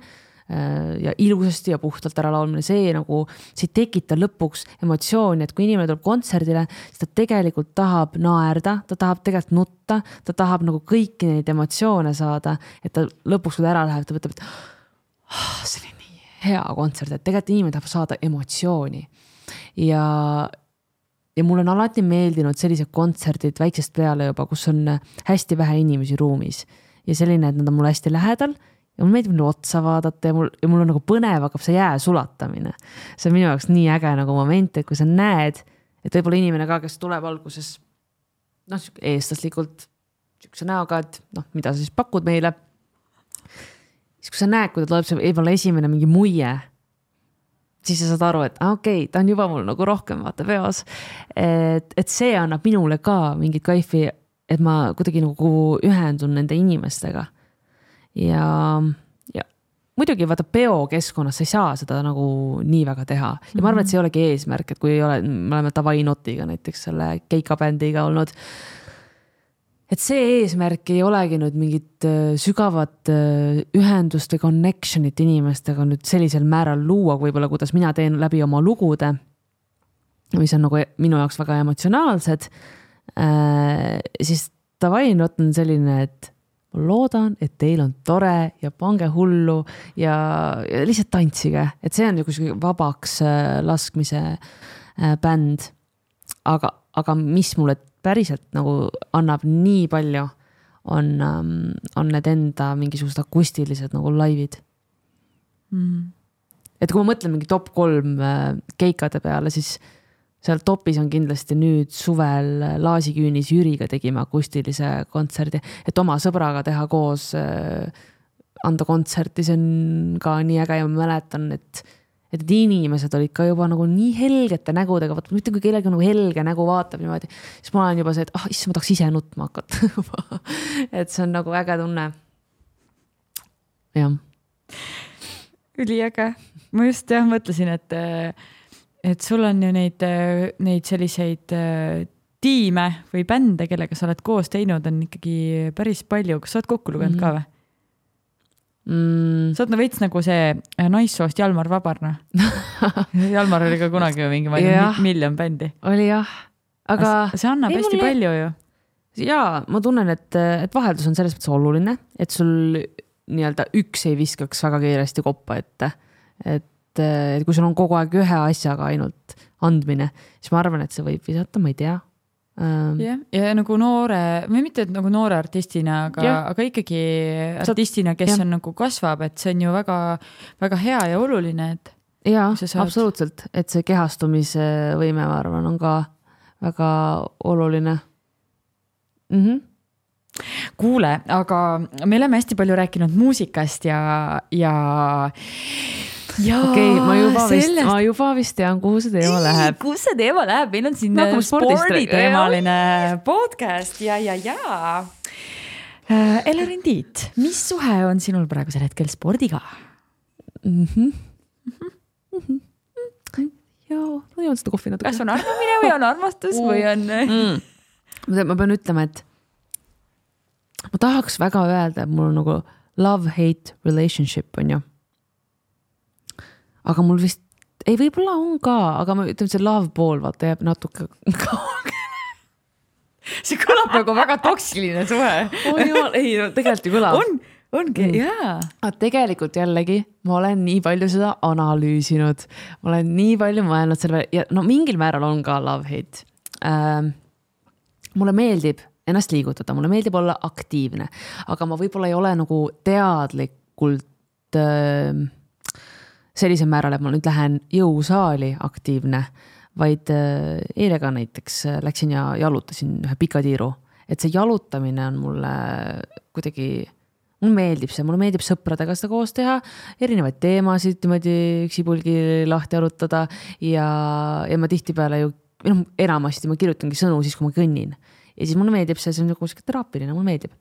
ja ilusasti ja puhtalt ära laulmine, see tekita lõpuks emotsiooni, et kui inimene tuleb kontserdile, siis ta tegelikult tahab naerda, ta tahab tegelikult nutta, ta tahab nagu kõiki neid emotsioone saada, et ta lõpuks, kui ta ära läheb, ta võtab, et see oli nii hea kontsert, et tegelikult inimene tahab saada emotsiooni ja mul on alati meeldinud sellised kontserdid väiksest peale juba, kus on hästi vähe inimesi ruumis ja selline, et nad on mul hästi lähedal ja mul meeldib otsa vaadata ja mul on nagu põnev, hakkab see jää sulatamine. See on minu jaoks nii äge nagu moment, et kui sa näed, et võib-olla inimene ka, kes tuleb alguses eestlaslikult sükse näoga, et mida sa siis pakud meile, siis kui sa näed, kui ta tuleb see võib-olla esimene mingi muie, siis sa saad aru, et okei, ta on juba mul nagu rohkem vaata peos. Et see annab minule ka mingit kaifi, et ma kuidagi nagu ühendun nende inimestega. Ja muidugi vaata peokeskkonnas sa ei saa seda nagu nii väga teha. Ja ma arvan, et see ei olegi eesmärk, et kui me oleme Davai Notiga näiteks selle keikabändiga olnud, et see eesmärk ei olegi nüüd mingit sügavat ühendust või connectionit inimestega nüüd sellisel määral luua, võib-olla kuidas mina teen läbi oma lugude, mis on nagu minu jaoks väga emotsionaalsed, siis Davai Not on selline, et ma loodan, et teil on tore ja pange hullu ja lihtsalt tantsige, et see on nagu vabaks laskmise bänd, aga mis mulle päriselt nagu annab nii palju, on need enda mingisugused akustilised nagu laivid. Et kui ma mõtlen mingi top 3 keikade peale, siis seal topis on kindlasti nüüd suvel Laasiküünis Jüriga tegime akustilise kontserdi, et oma sõbraga teha koos anda kontserti, see on ka nii äge ja ma mäletan, et inimesed olid ka juba nagu nii helgete nägudega, vaata, mitte kui kellegi nagu helge nägu vaatab niimoodi, siis ma olen juba see, et issand, ma tahaks ise nutma hakata. Et see on nagu äge tunne. Jah. Üliäge. Ma just mõtlesin, et sul on ju neid selliseid tiime või bände, kellega sa oled koos teinud, on ikkagi päris palju. Kas sa oled kokku lugenud ka või? Sa oled veits nagu see naissoost Jalmar Vabarna. Jalmar oli ka kunagi mingi miljon bändi. Oli jah. Aga see annab hästi palju ju. Jaa, ma tunnen, et vaheldus on selles mõttes oluline, et sul nii-öelda üks ei viskaks väga kiiresti koppa ette. Et kui sul on kogu aeg ühe asjaga ainult andmine, siis ma arvan, et see võib visata, ma ei tea. Ja nagu või mitte nagu noore artistina, aga ikkagi artistina, kes on nagu kasvab, et see on ju väga, väga hea ja oluline. Jaa, absoluutselt, et see kehastumise võime, ma arvan, on ka väga oluline. Kuule, aga me oleme hästi palju rääkinud muusikast ja okei, ma juba vist tean, kuhu see teema läheb. Kuhu see teema läheb? Meil on siin sporditeemaline podcast ja. Elerin Tiit, mis suhe on sinul praegusel hetkel spordiga? Jaa, ma joon seda kohvi natuke. Kas on arvamine või on armastus või on... Ma pean ütlema, et ma tahaks väga öelda, et mul on nagu love-hate relationship on ju. Aga mul vist, ei võib-olla on ka, aga ma ütlen, see love pool vaata jääb natuke kaugele. See kõlab nagu väga toksiline suhe. Ei, tegelikult ju kõlab. Ongi, jaa. Tegelikult jällegi, ma olen nii palju seda analüüsinud. Ma olen nii palju mõelnud selle ja mingil määral on ka love-hate. Mulle meeldib ennast liigutada, mulle meeldib olla aktiivne, aga ma võib-olla ei ole nagu teadlikult sellisel määral, et ma nüüd lähen jõusaali aktiivne, vaid eile ka näiteks läksin ja jalutasin ühe pika tiiru. Et see jalutamine on mulle kuidagi mulle meeldib see, mulle meeldib sõpradega seda koos teha, erinevaid teemasid niimoodi üksipulgi lahti arutada ja ma tihtipeale ju, enamasti ma kirjutangi sõnu siis, kui ma kõnnin. Ja siis mulle meeldib see on nagu teraapiline, mulle meeldib.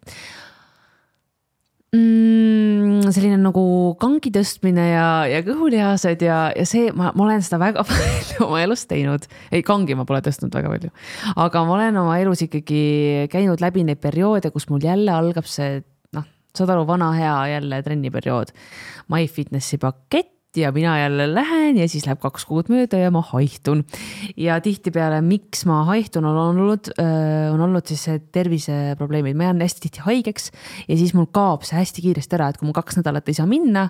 Selline nagu kangi tõstmine ja kõhulihased ja see, ma olen seda väga palju oma elus teinud. Ei, kangi ma pole tõstnud väga palju. Aga ma olen oma elus ikkagi käinud läbi neid perioode, kus mul jälle algab see, saad aru, vana hea jälle trenniperiood. MyFitnessi pakett ja mina jälle lähen ja siis läheb 2 kuud mööda ja ma haihtun. Ja tihtipeale, miks ma haihtun, on olnud siis terviseprobleemid. Ma jään hästi tihti haigeks ja siis mul kaob see hästi kiiresti ära, et kui mul 2 nädalat ei saa minna,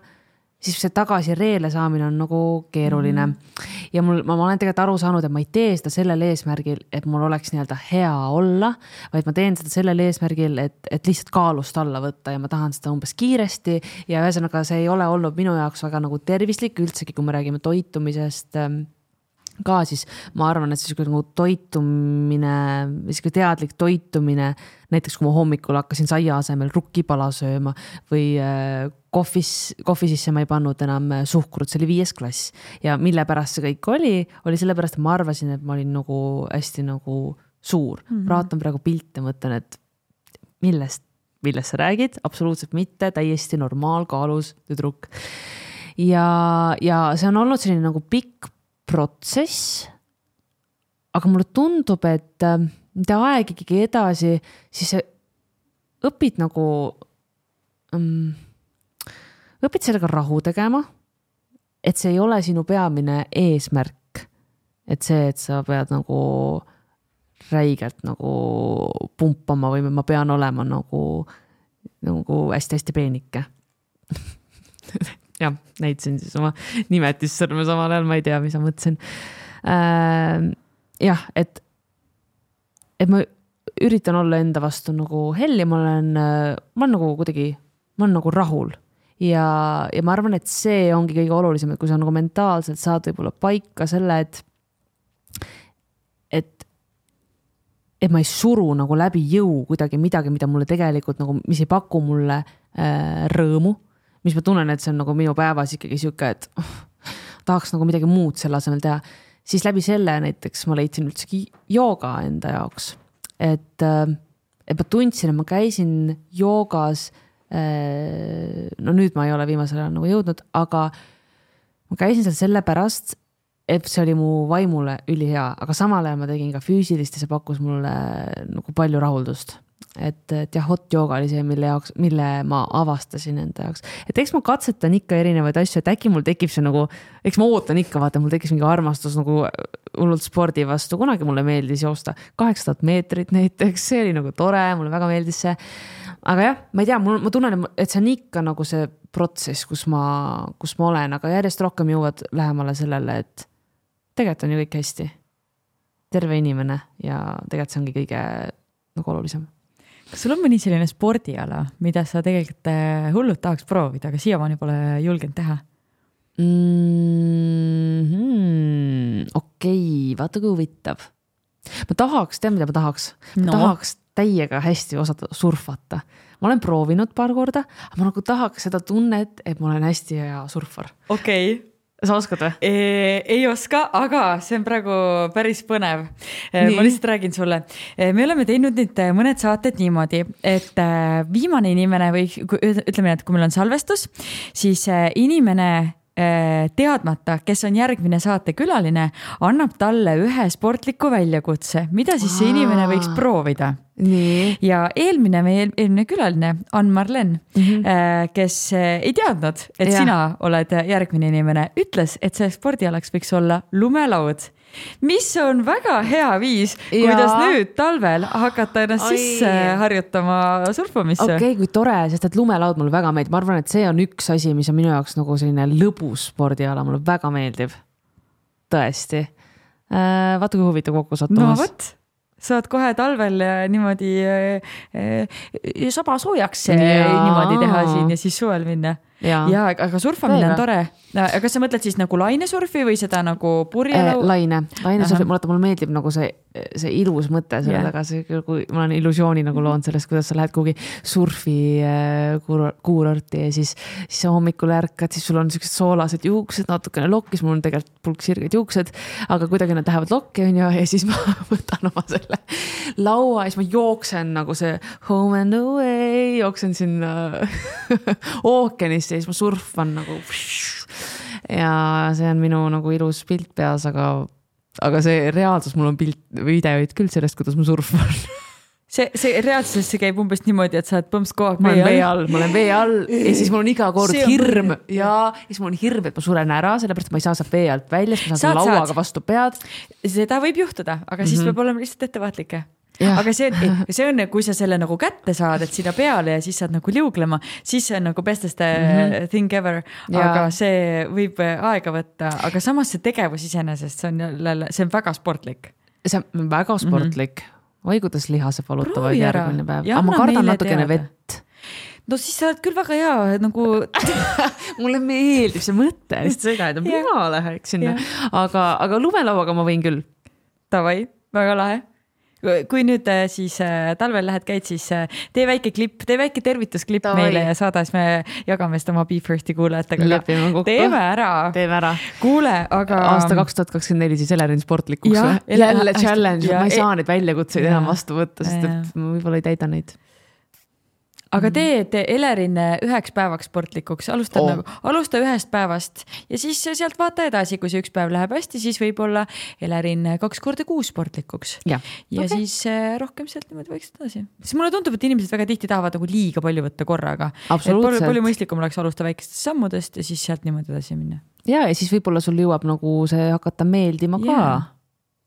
siis see tagasi reele saamine on nagu keeruline. Ja ma olen tegelikult aru saanud, et ma ei tee seda sellel eesmärgil, et mul oleks nii-öelda hea olla, vaid ma teen seda sellel eesmärgil, et lihtsalt kaalust alla võtta ja ma tahan seda umbes kiiresti ja ühesõnaga see ei ole olnud minu jaoks väga nagu tervislik üldsegi, kui me räägime toitumisest ka, siis ma arvan, et see nagu toitumine, teadlik toitumine, näiteks kui ma hommikul hakkasin saia asemel rukkipala sööma või kohvi sisse ma ei pannud enam suhkrut, see oli 5. klass ja mille pärast see kõik oli sellepärast, et ma arvasin, et ma olin nagu hästi nagu suur. Vaatan praegu pilte, mõtlen, et millest sa räägid? Absoluutselt mitte, täiesti normaalkaalus tüdruk. Ja see on olnud selline nagu pikk protsess, aga mulle tundub, et mida aeg ikkagi edasi, siis õpid nagu, õpid sellega rahu tegema, et see ei ole sinu peamine eesmärk, et see, et sa pead nagu räigelt nagu pumpama või ma pean olema nagu hästi-hästi peenike. Jah, näitasin siis oma nimetissõrme samal ajal, ma ei tea, mis ma mõtlesin. Jah, et ma üritan olla enda vastu nagu hell ja ma olen nagu kuidagi, ma olen nagu rahul. Ja ma arvan, et see ongi kõige olulisem, et kui sa nagu mentaalselt saad võib-olla paika selle, et ma ei suru nagu läbi jõu kuidagi midagi, mida mulle tegelikult nagu, mis ei paku mulle rõõmu, mis ma tunnen, et see on nagu minu päevas ikkagi siuke, et tahaks nagu midagi muud selle asemel teha, siis läbi selle näiteks ma leidsin üldsegi jooga enda jaoks. Et ma tundsin, et ma käisin joogas, no nüüd ma ei ole viimasel ajal nagu jõudnud, aga ma käisin seal selle pärast, et see oli mu vaimule ülihea, aga samal ajal ma tegin ka füüsilist ja see pakkus mulle nagu palju rahuldust. Et jah, hot jooga oli see, mille ma avastasin enda jaoks. Et eks ma katsetan ikka erinevaid asju, et äkki mul tekib see nagu, eks ma ootan ikka, vaata, mul tekkis mingi armastus nagu hullult spordi vastu. Kunagi mulle meeldis joosta 800 meetrit näiteks, see oli nagu tore, mulle väga meeldis see. Aga jah, ma ei tea, ma tunnen, et see on ikka nagu see protsess, kus ma olen, aga järjest rohkem jõuad lähemale sellele, et tegelikult on ju kõik hästi. Terve inimene ja tegelikult see ongi kõige nagu olulisem. Kas sul on mõni selline spordiala, mida sa tegelikult hullult tahaks proovida, aga siiamaani pole julgenud teha? Okei, vaata kui huvitav. Ma tahaks, tead mida ma tahaks? Ma tahaks täiega hästi osata surfata. Ma olen proovinud paar korda, aga ma nagu tahaks seda tunnet, et ma olen hästi hea surfar. Okei. Sa oskad või? Ei oska, aga see on praegu päris põnev. Ma lihtsalt räägin sulle. Me oleme teinud nüüd mõned saated niimoodi, et viimane inimene või ütleme, et kui meil on salvestus, siis inimene teadmata, kes on järgmine saatekülaline, annab talle ühe sportliku väljakutse, mida siis see inimene võiks proovida. Nii. Ja eelmine külaline, Ann-Marlen, kes ei teadnud, et sina oled järgmine inimene, ütles, et see spordialaks võiks olla lumelaud, mis on väga hea viis, kuidas nüüd talvel hakata ennast sisse harjutama surfamisse. Okei, kui tore, sest et lumelaud mulle väga meeldib. Ma arvan, et see on üks asi, mis on minu jaoks nagu selline lõbus spordiala, mulle väga meeldib. Tõesti. Vaata, kui huvitav kokku sattumas. No võt. Saad kohe talvel niimoodi saba soojaks niimoodi teha siin ja siis suvel minna. ja aga surfamine on tore. Kas sa mõtled siis nagu lainesurfi või seda nagu purjelau? Lainesurfi, mulle meeldib nagu see ilus mõte selle taga, kui ma olen illusiooni nagu loonud sellest, kuidas sa lähed kuhugi surfi kuurorti ja siis sa hommikul ärkad, siis sul on sellised soolased juuksed, natukene lokkis, mul on tegelikult pulk sirged juuksed, aga kuidagi nad lähevad lokki ja siis ma võtan oma selle laua ja siis ma jooksen nagu see home and away, jooksen sinna ookeanisse ja siis ma surfan nagu ja see on minu nagu ilus pilt peas, aga see reaalsus, mul on videoid küll sellest, kuidas ma surfan. See reaalsuses see käib umbes niimoodi, et sa oled põmps kogu aeg ma olen vee all ja siis mul on iga kord hirm ja siis mul on hirm, et ma suren ära, sellepärast ma ei saa sealt vee alt välja, siis ma saan lauaga vastu pead. Seda võib juhtuda, aga siis peab olema lihtsalt ettevaatlik. Aga see on, kui sa selle nagu kätte saad, et sinna peale ja siis saad nagu liuglema, siis see on nagu bestest thing ever, aga see võib aega võtta, aga samas see tegevus iseenesest, see on väga sportlik. See on väga sportlik. Oi, kuidas lihased valutavad järgmine päev. Aga ma kardan natukene vett. No siis sa oled küll väga hea, nagu... Mulle meeldib see mõte, lihtsalt seda, et mina läheks sinna. Aga lumelauaga ma võin küll. Tavai, väga lahe. Kui nüüd siis talvel lähed käid, siis tee väike tervitusklipp meile ja saada, siis me jagame seda oma Be Firsti kuulajatega. Teeme ära. Kuule, aga... Aasta 2024 siis Elerin sportlikuks. Jälle challenge, ma ei saa neid väljakutseid enam vastu võtta, sest et ma võib-olla ei täida neid. Aga tee Elerin 1 päevaks sportlikuks, alusta 1 päevast ja siis sealt vaata edasi, kui see 1 päev läheb hästi, siis võib-olla Elerin 2 korda kuus sportlikuks. Ja siis rohkem sealt niimoodi võiks edasi. Siis mulle tundub, et inimesed väga tihti tahavad nagu liiga palju võtta korraga. Palju mõistlikum oleks alusta väikestest sammudest ja siis sealt niimoodi edasi minna. Ja siis võib-olla sul jõuab nagu see hakata meeldima ka.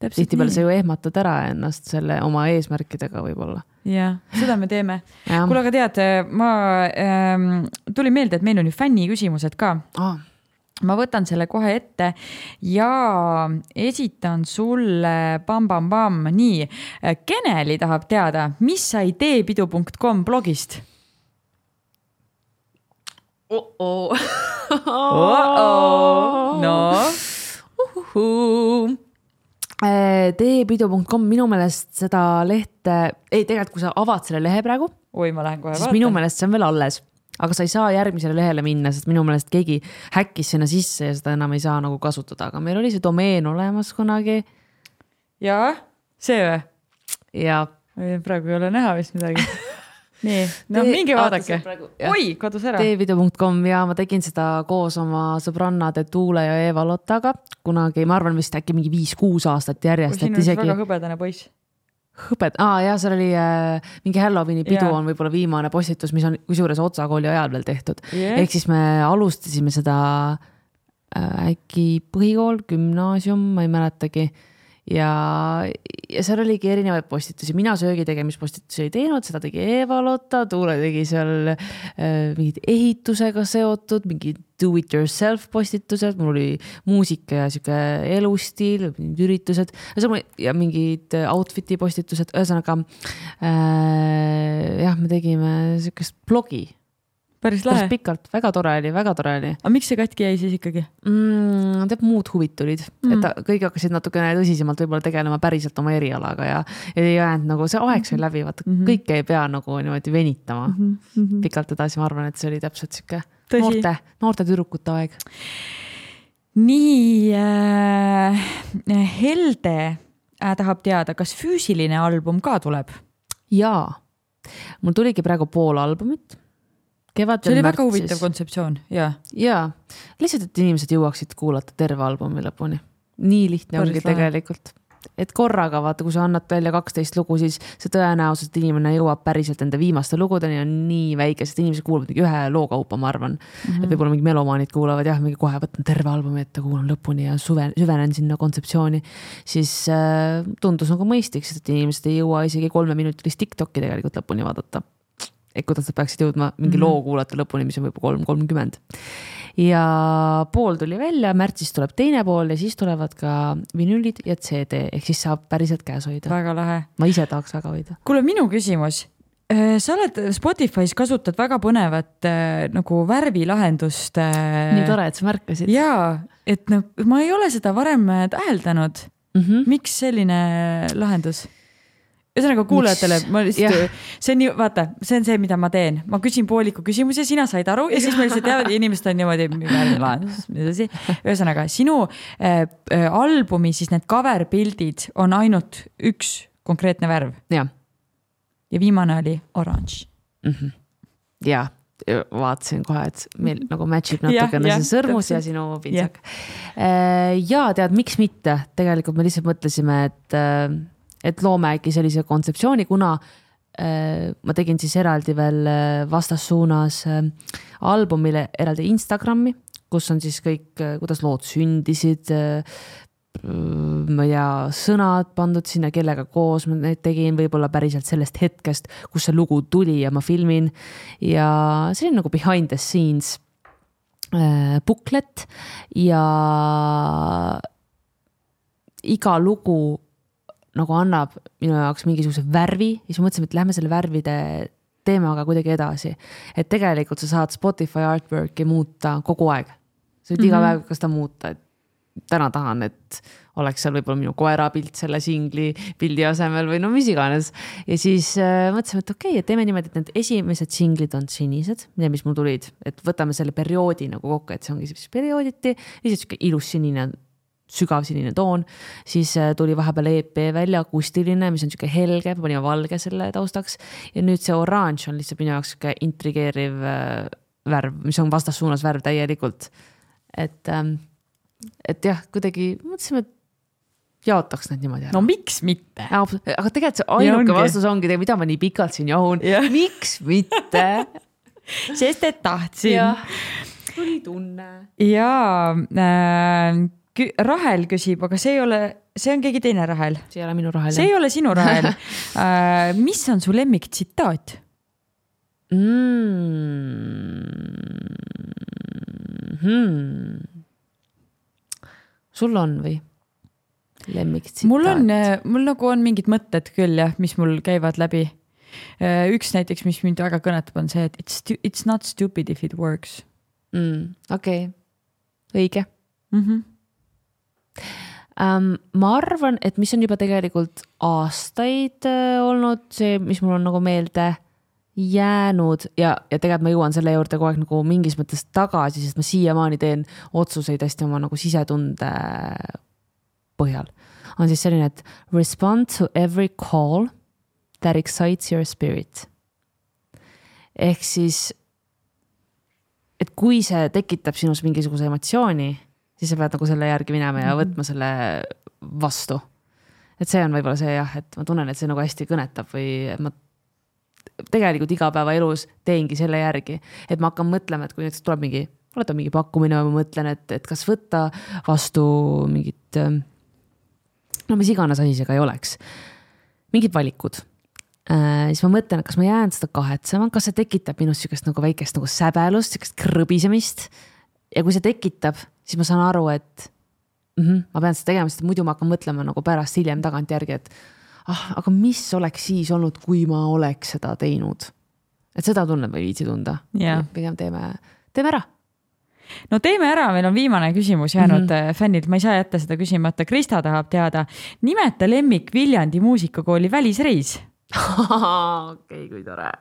Tihti peale sa ju ehmatad ära ennast selle oma eesmärkidega võib-olla. Ja, seda me teeme. Kuule, aga tead, ma tuli meelde, et meil on ju fänni küsimused ka. Ma võtan selle kohe ette ja esitan sulle bam. Nii, Keneli tahab teada, mis sai teepidu.com blogist? No. Teepidu.com minu meelest seda lehte, tegelikult kui sa avad selle lehe praegu, ma lähen kohe siis vaatan. Minu meelest see on veel alles, aga sa ei saa järgmisele lehele minna, sest minu meelest keegi häkkis sinna sisse ja seda enam ei saa nagu kasutada, aga meil oli see domeen olemas kunagi. Jaa, see või? Ja. Praegu ei ole näha vist midagi. Nii, mingi vaadake. Oi, kadus ära. Teepidu.com ja ma tegin seda koos oma sõbrannade Tuule ja Eva Lottaga. Kunagi, ma arvan vist äkki mingi 5-6 aastat järjest. Siin on väga hõbedane poiss. Seal oli mingi Halloweeni pidu on võib-olla viimane postitus, mis on kusjuures Otsakooli ajal veel tehtud. Ehk siis me alustasime seda äkki põhikool, gümnaasium, ma ei mäletagi. Ja seal oligi erinevaid postitusi. Mina söögi tegemispostitusi ei teinud, seda tegi Eva Lotta, Tuule tegi seal mingid ehitusega seotud, mingid do-it-yourself postitused, mul oli muusika ja siuke elustiil, üritused ja mingid outfiti postitused. Ühesõnaga, me tegime siukest blogi. Päris lahe. Pikalt, väga tore oli. Aga miks see katki jäi siis ikkagi? Muud huvid tulid. Et kõik hakkasid natukene tõsisemalt võib-olla tegelema päriselt oma erialaga ja ei jäänud nagu see aeg sai läbi, vaata kõike ei pea nagu niimoodi venitama. Pikalt edasi ma arvan, et see oli täpselt siuke noorte tüdrukute aeg. Nii, Helde tahab teada, kas füüsiline album ka tuleb? Jaa, mul tuligi praegu pool albumit. See oli väga huvitav kontseptsioon, jaa. Lihtsalt, et inimesed jõuaksid kuulata terve albumi lõpuni. Nii lihtne ongi tegelikult. Et korraga, vaata, kui sa annad välja 12 lugu, siis see tõenäosus, et inimene jõuab päriselt enda viimaste lugudeni on nii väike, sest inimesed kuulavad mingi ühe lookaupa, ma arvan. Et võib-olla mingi melomaanid kuulavad, mingi kohe võtan terve albumi ette, kuulan lõpuni ja süvenen sinna kontseptsiooni. Siis tundus nagu mõistik, sest et inimesed ei jõua isegi 3-minutilist TikToki tegelikult lõpuni vaadata. Et kuidas sa peaksid jõudma mingi loo kuulata lõpuni, mis on võib-olla 3:30. Ja pool tuli välja, märtsis tuleb teine pool ja siis tulevad ka vinüülid ja CD, ehk siis saab päriselt käes hoida. Väga lahe. Ma ise tahaks väga hoida. Kuule, minu küsimus. sa oled Spotify's kasutad väga põnevat nagu värvilahendust. Nii tore, et sa märkasid. Jaa, et ma ei ole seda varem täheldanud. Miks selline lahendus? Ühesõnaga kuulajatele, see on nii, vaata, see on see, mida ma teen. Ma küsin pooliku küsimusi, sina said aru ja siis meil see teavad, inimesed on niimoodi lahendus. Ühesõnaga, sinu albumi, siis need cover-pildid on ainult üks konkreetne värv. Ja viimane oli orange. Ja vaatasin kohe, et meil nagu matchib natukene see sõrmus ja sinu pintsak. Ja tead, miks mitte? Tegelikult me lihtsalt mõtlesime, et loome äkki sellise kontseptsiooni, kuna ma tegin siis eraldi veel vastassuunas albumile eraldi Instagrami, kus on siis kõik, kuidas lood sündisid, ma ei tea, sõnad pandud sinna, kellega koos ma neid tegin, võib-olla päriselt sellest hetkest, kus see lugu tuli ja ma filmin ja see on nagu behind the scenes booklet ja iga lugu nagu annab minu jaoks mingisuguse värvi ja siis mõtlesime, et lähme selle värvide teemaga kuidagi edasi, et tegelikult sa saad Spotify artworki muuta kogu aeg, sa võid iga päev kas ta muuta, et täna tahan, et oleks seal võib-olla minu koera pilt selle singli pildi asemel või no mis iganes. Ja siis mõtlesime, et okei, et teeme niimoodi, et need esimesed singlid on sinised, mis mul tulid, et võtame selle perioodi nagu kokku, et see ongi siis periooditi, lihtsalt ilus sinine, sügav sinine toon, siis tuli vahepeal EP välja, akustiline, mis on siuke helge, panime valge selle taustaks ja nüüd see orange on lihtsalt minu jaoks siuke intrigeeriv värv, mis on vastassuunas värv täielikult, et jah, kuidagi mõtlesime, et jaotaks need niimoodi ära. No miks mitte? Aga tegelikult see ainuke vastus ongi, mida ma nii pikalt siin jahun. Miks mitte? Sest et tahtsin. Ja, tuli tunne. Ja Rahel küsib, aga see on keegi teine Rahel. See ei ole minu Rahel. See ei ole sinu Rahel. Mis on su lemmik tsitaat? Sul on või? Lemmiktsitaat? Mul nagu on mingid mõtted küll, jah, mis mul käivad läbi. Üks näiteks, mis mind väga kõnetab, on see, et it's not stupid if it works. Okei. Õige. Ma arvan, et mis on juba tegelikult aastaid olnud, see, mis mul on nagu meelde jäänud ja tegelikult ma jõuan selle juurde kogu aeg nagu mingis mõttes tagasi, sest ma siiamaani teen otsuseid hästi oma nagu sisetunde põhjal. On siis selline, et respond to every call that excites your spirit. Ehk siis, et kui see tekitab sinus mingisuguse emotsiooni, siis sa pead nagu selle järgi minema ja võtma selle vastu. Et see on võib-olla see jah, et ma tunnen, et see nagu hästi kõnetab või ma tegelikult igapäeva elus teengi selle järgi, et ma hakkan mõtlema, et kui näiteks tuleb mingi pakkumine või ma mõtlen, et kas võtta vastu mingit, no mis iganes asi see ka ei oleks, mingid valikud. Siis ma mõtlen, et kas ma jään seda kahetsema, kas see tekitab minust sükest nagu väikest nagu säbelust, sükest krõbisemist ja kui see tekitab, siis ma saan aru, et ma pean seda tegema, sest muidu ma hakkan mõtlema nagu pärast hiljem tagant järgi, et aga mis oleks siis olnud, kui ma oleks seda teinud? Et seda tunned või viitsi tunda. Pigem teeme ära. No teeme ära, meil on viimane küsimus jäänud fännilt. Ma ei saa jätta seda küsimata. Krista tahab teada, nimeta lemmik Viljandi muusikakooli välisreis. Okei, kui tore.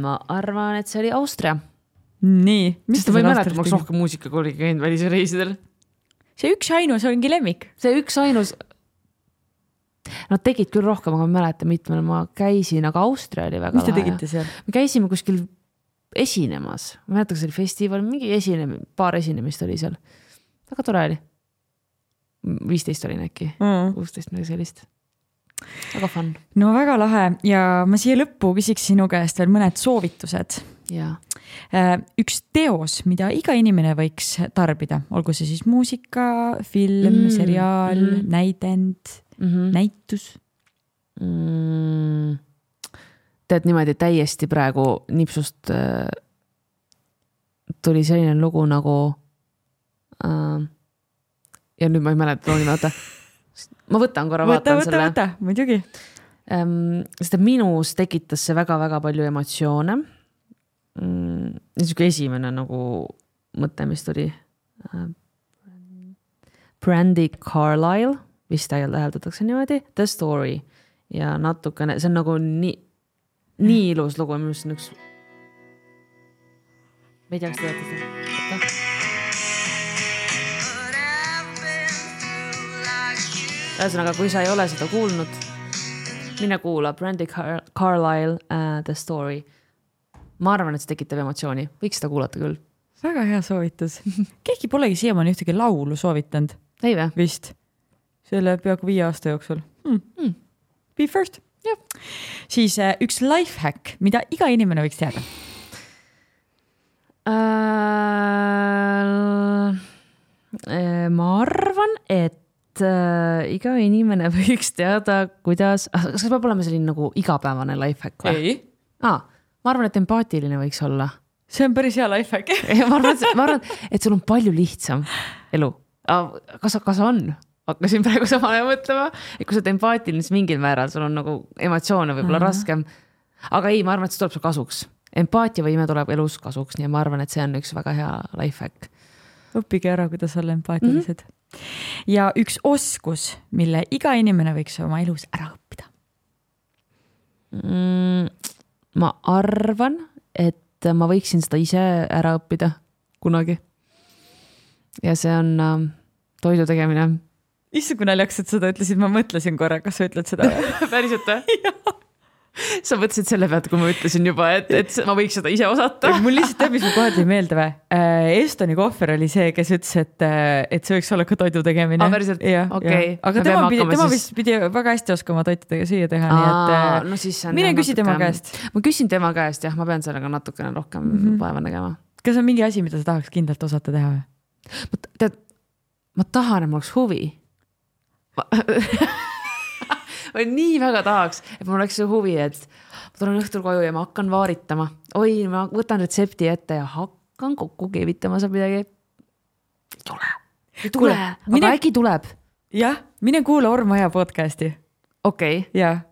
Ma arvan, et see oli Austria. Nii. Sest ma ei mäleta, ma oleks rohkem muusikakooli käinud välisreisidel. See üks ainus ongi lemmik. See üks ainus, nad tegid küll rohkem, aga ma mäletan mitmel ma käisin, aga Austria oli väga lahe. Mis te tegite seal? Me käisime kuskil esinemas. Ma mäletan, see oli festival, mingi paar esinemist oli seal. Väga tore oli. 15 oli äkki, 16 midagi sellist. Väga fun. No väga lahe ja ma siia lõppu küsiks sinu käest veel mõned soovitused. Ja. Üks teos, mida iga inimene võiks tarbida, olgu see siis muusika, film, seriaal, näidend, näitus. Tead niimoodi täiesti praegu nipsust tuli selline lugu nagu ja nüüd ma ei mäleta looni, vaata ma võtan korra, vaatan selle. Võta, muidugi. Sest minus tekitas see väga-väga palju emotsioone. Niisugune esimene nagu mõte, mis tuli. Brandi Carlile, vist täheldatakse niimoodi, The Story. Ja natukene, see on nagu nii ilus lugu, mis on üks... Ma ei tea, kas te teate. Ühesõnaga, kui sa ei ole seda kuulnud, mine kuula Brandi Carlile The Story. Ma arvan, et see tekitab emotsiooni. Võiks seda kuulata küll. Väga hea soovitus. Keegi polegi siiamaani ühtegi laulu soovitanud. Ei või? Vist. Selle peaaegu 5 aasta jooksul. Be first. Ja. Siis üks lifehack, mida iga inimene võiks teada. Ma arvan, et iga inimene võiks teada, kuidas... Kas peab olema selline nagu igapäevane lifehack või? Ei. Ma arvan, et empaatiline võiks olla. See on päris hea lifehack. ma arvan, et sul on palju lihtsam elu. Kas on? Hakkasin praegu samale mõtlema. Et kui sa oled empaatiline, siis mingil määral sul on nagu emotsioone võib-olla raskem. Aga ei, ma arvan, et see tuleb sul kasuks. Empaatiavõime tuleb elus kasuks, nii ma arvan, et see on üks väga hea lifehack. Õppige ära, kuidas olla empaatilised. Ja üks oskus, mille iga inimene võiks oma elus ära õppida. Ma arvan, et ma võiksin seda ise ära õppida kunagi. Ja see on toidu tegemine. Issand, kui naljakas, et seda ütlesid, ma mõtlesin korra, kas sa ütled seda? Päriselt või? Jah. Sa mõtlesid selle pealt, kui ma ütlesin juba, et ma võiks seda ise osata. Mul lihtsalt teab, mis mul kohe tuli meelde või? Estoni Kohver oli see, kes ütles, et see võiks olla ka toidu tegemine. Päriselt? Okei. Aga tema vist pidi väga hästi oskama toitu süüa teha. No siis on mine küsi tema käest. Ma küsin tema käest, jah, ma pean sellega natukene rohkem vaeva nägema. Kas on mingi asi, mida sa tahaks kindlalt osata teha või? Ma tahan, et mul oleks huvi. Ma nii väga tahaks, et mul oleks see huvi, et ma tulen õhtul koju ja ma hakkan vaaritama. Oi, ma võtan retsepti ette ja hakkan kokku keevitama saab midagi. Ei tule. Aga äkki tuleb. Jah, mine kuula Ormaja podcasti. Okei. Jah.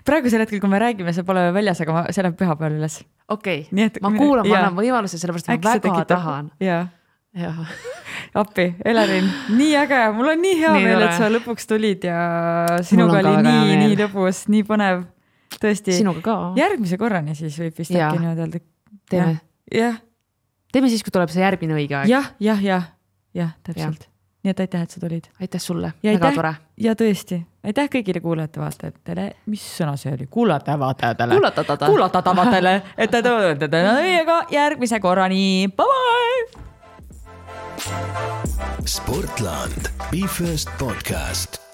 Praegusel hetkel, kui me räägime, see pole väljas, aga see läheb pühapäeval üles. Okei. Ma kuulan, ma annan võimaluse, sellepärast ma väga tahan. Jah. Appi, Elerin, nii äge, mul on nii hea meel, et sa lõpuks tulid ja sinuga oli nii lõbus, nii põnev, tõesti. Sinuga ka. Järgmise korrani siis võib vist äkki niimoodi öelda. Teeme. Jah. Teeme siis, kui tuleb see järgmine õige aeg. Jah, täpselt. Nii et aitäh, et sa tulid. Aitäh sulle, väga tore. Ja tõesti, aitäh kõigile kuulajate vaatajatele. Mis sõna see oli? Kuulatajatele. Et te tulete meiega järgmise korrani. Bye-bye! Sportland. Be First podcast.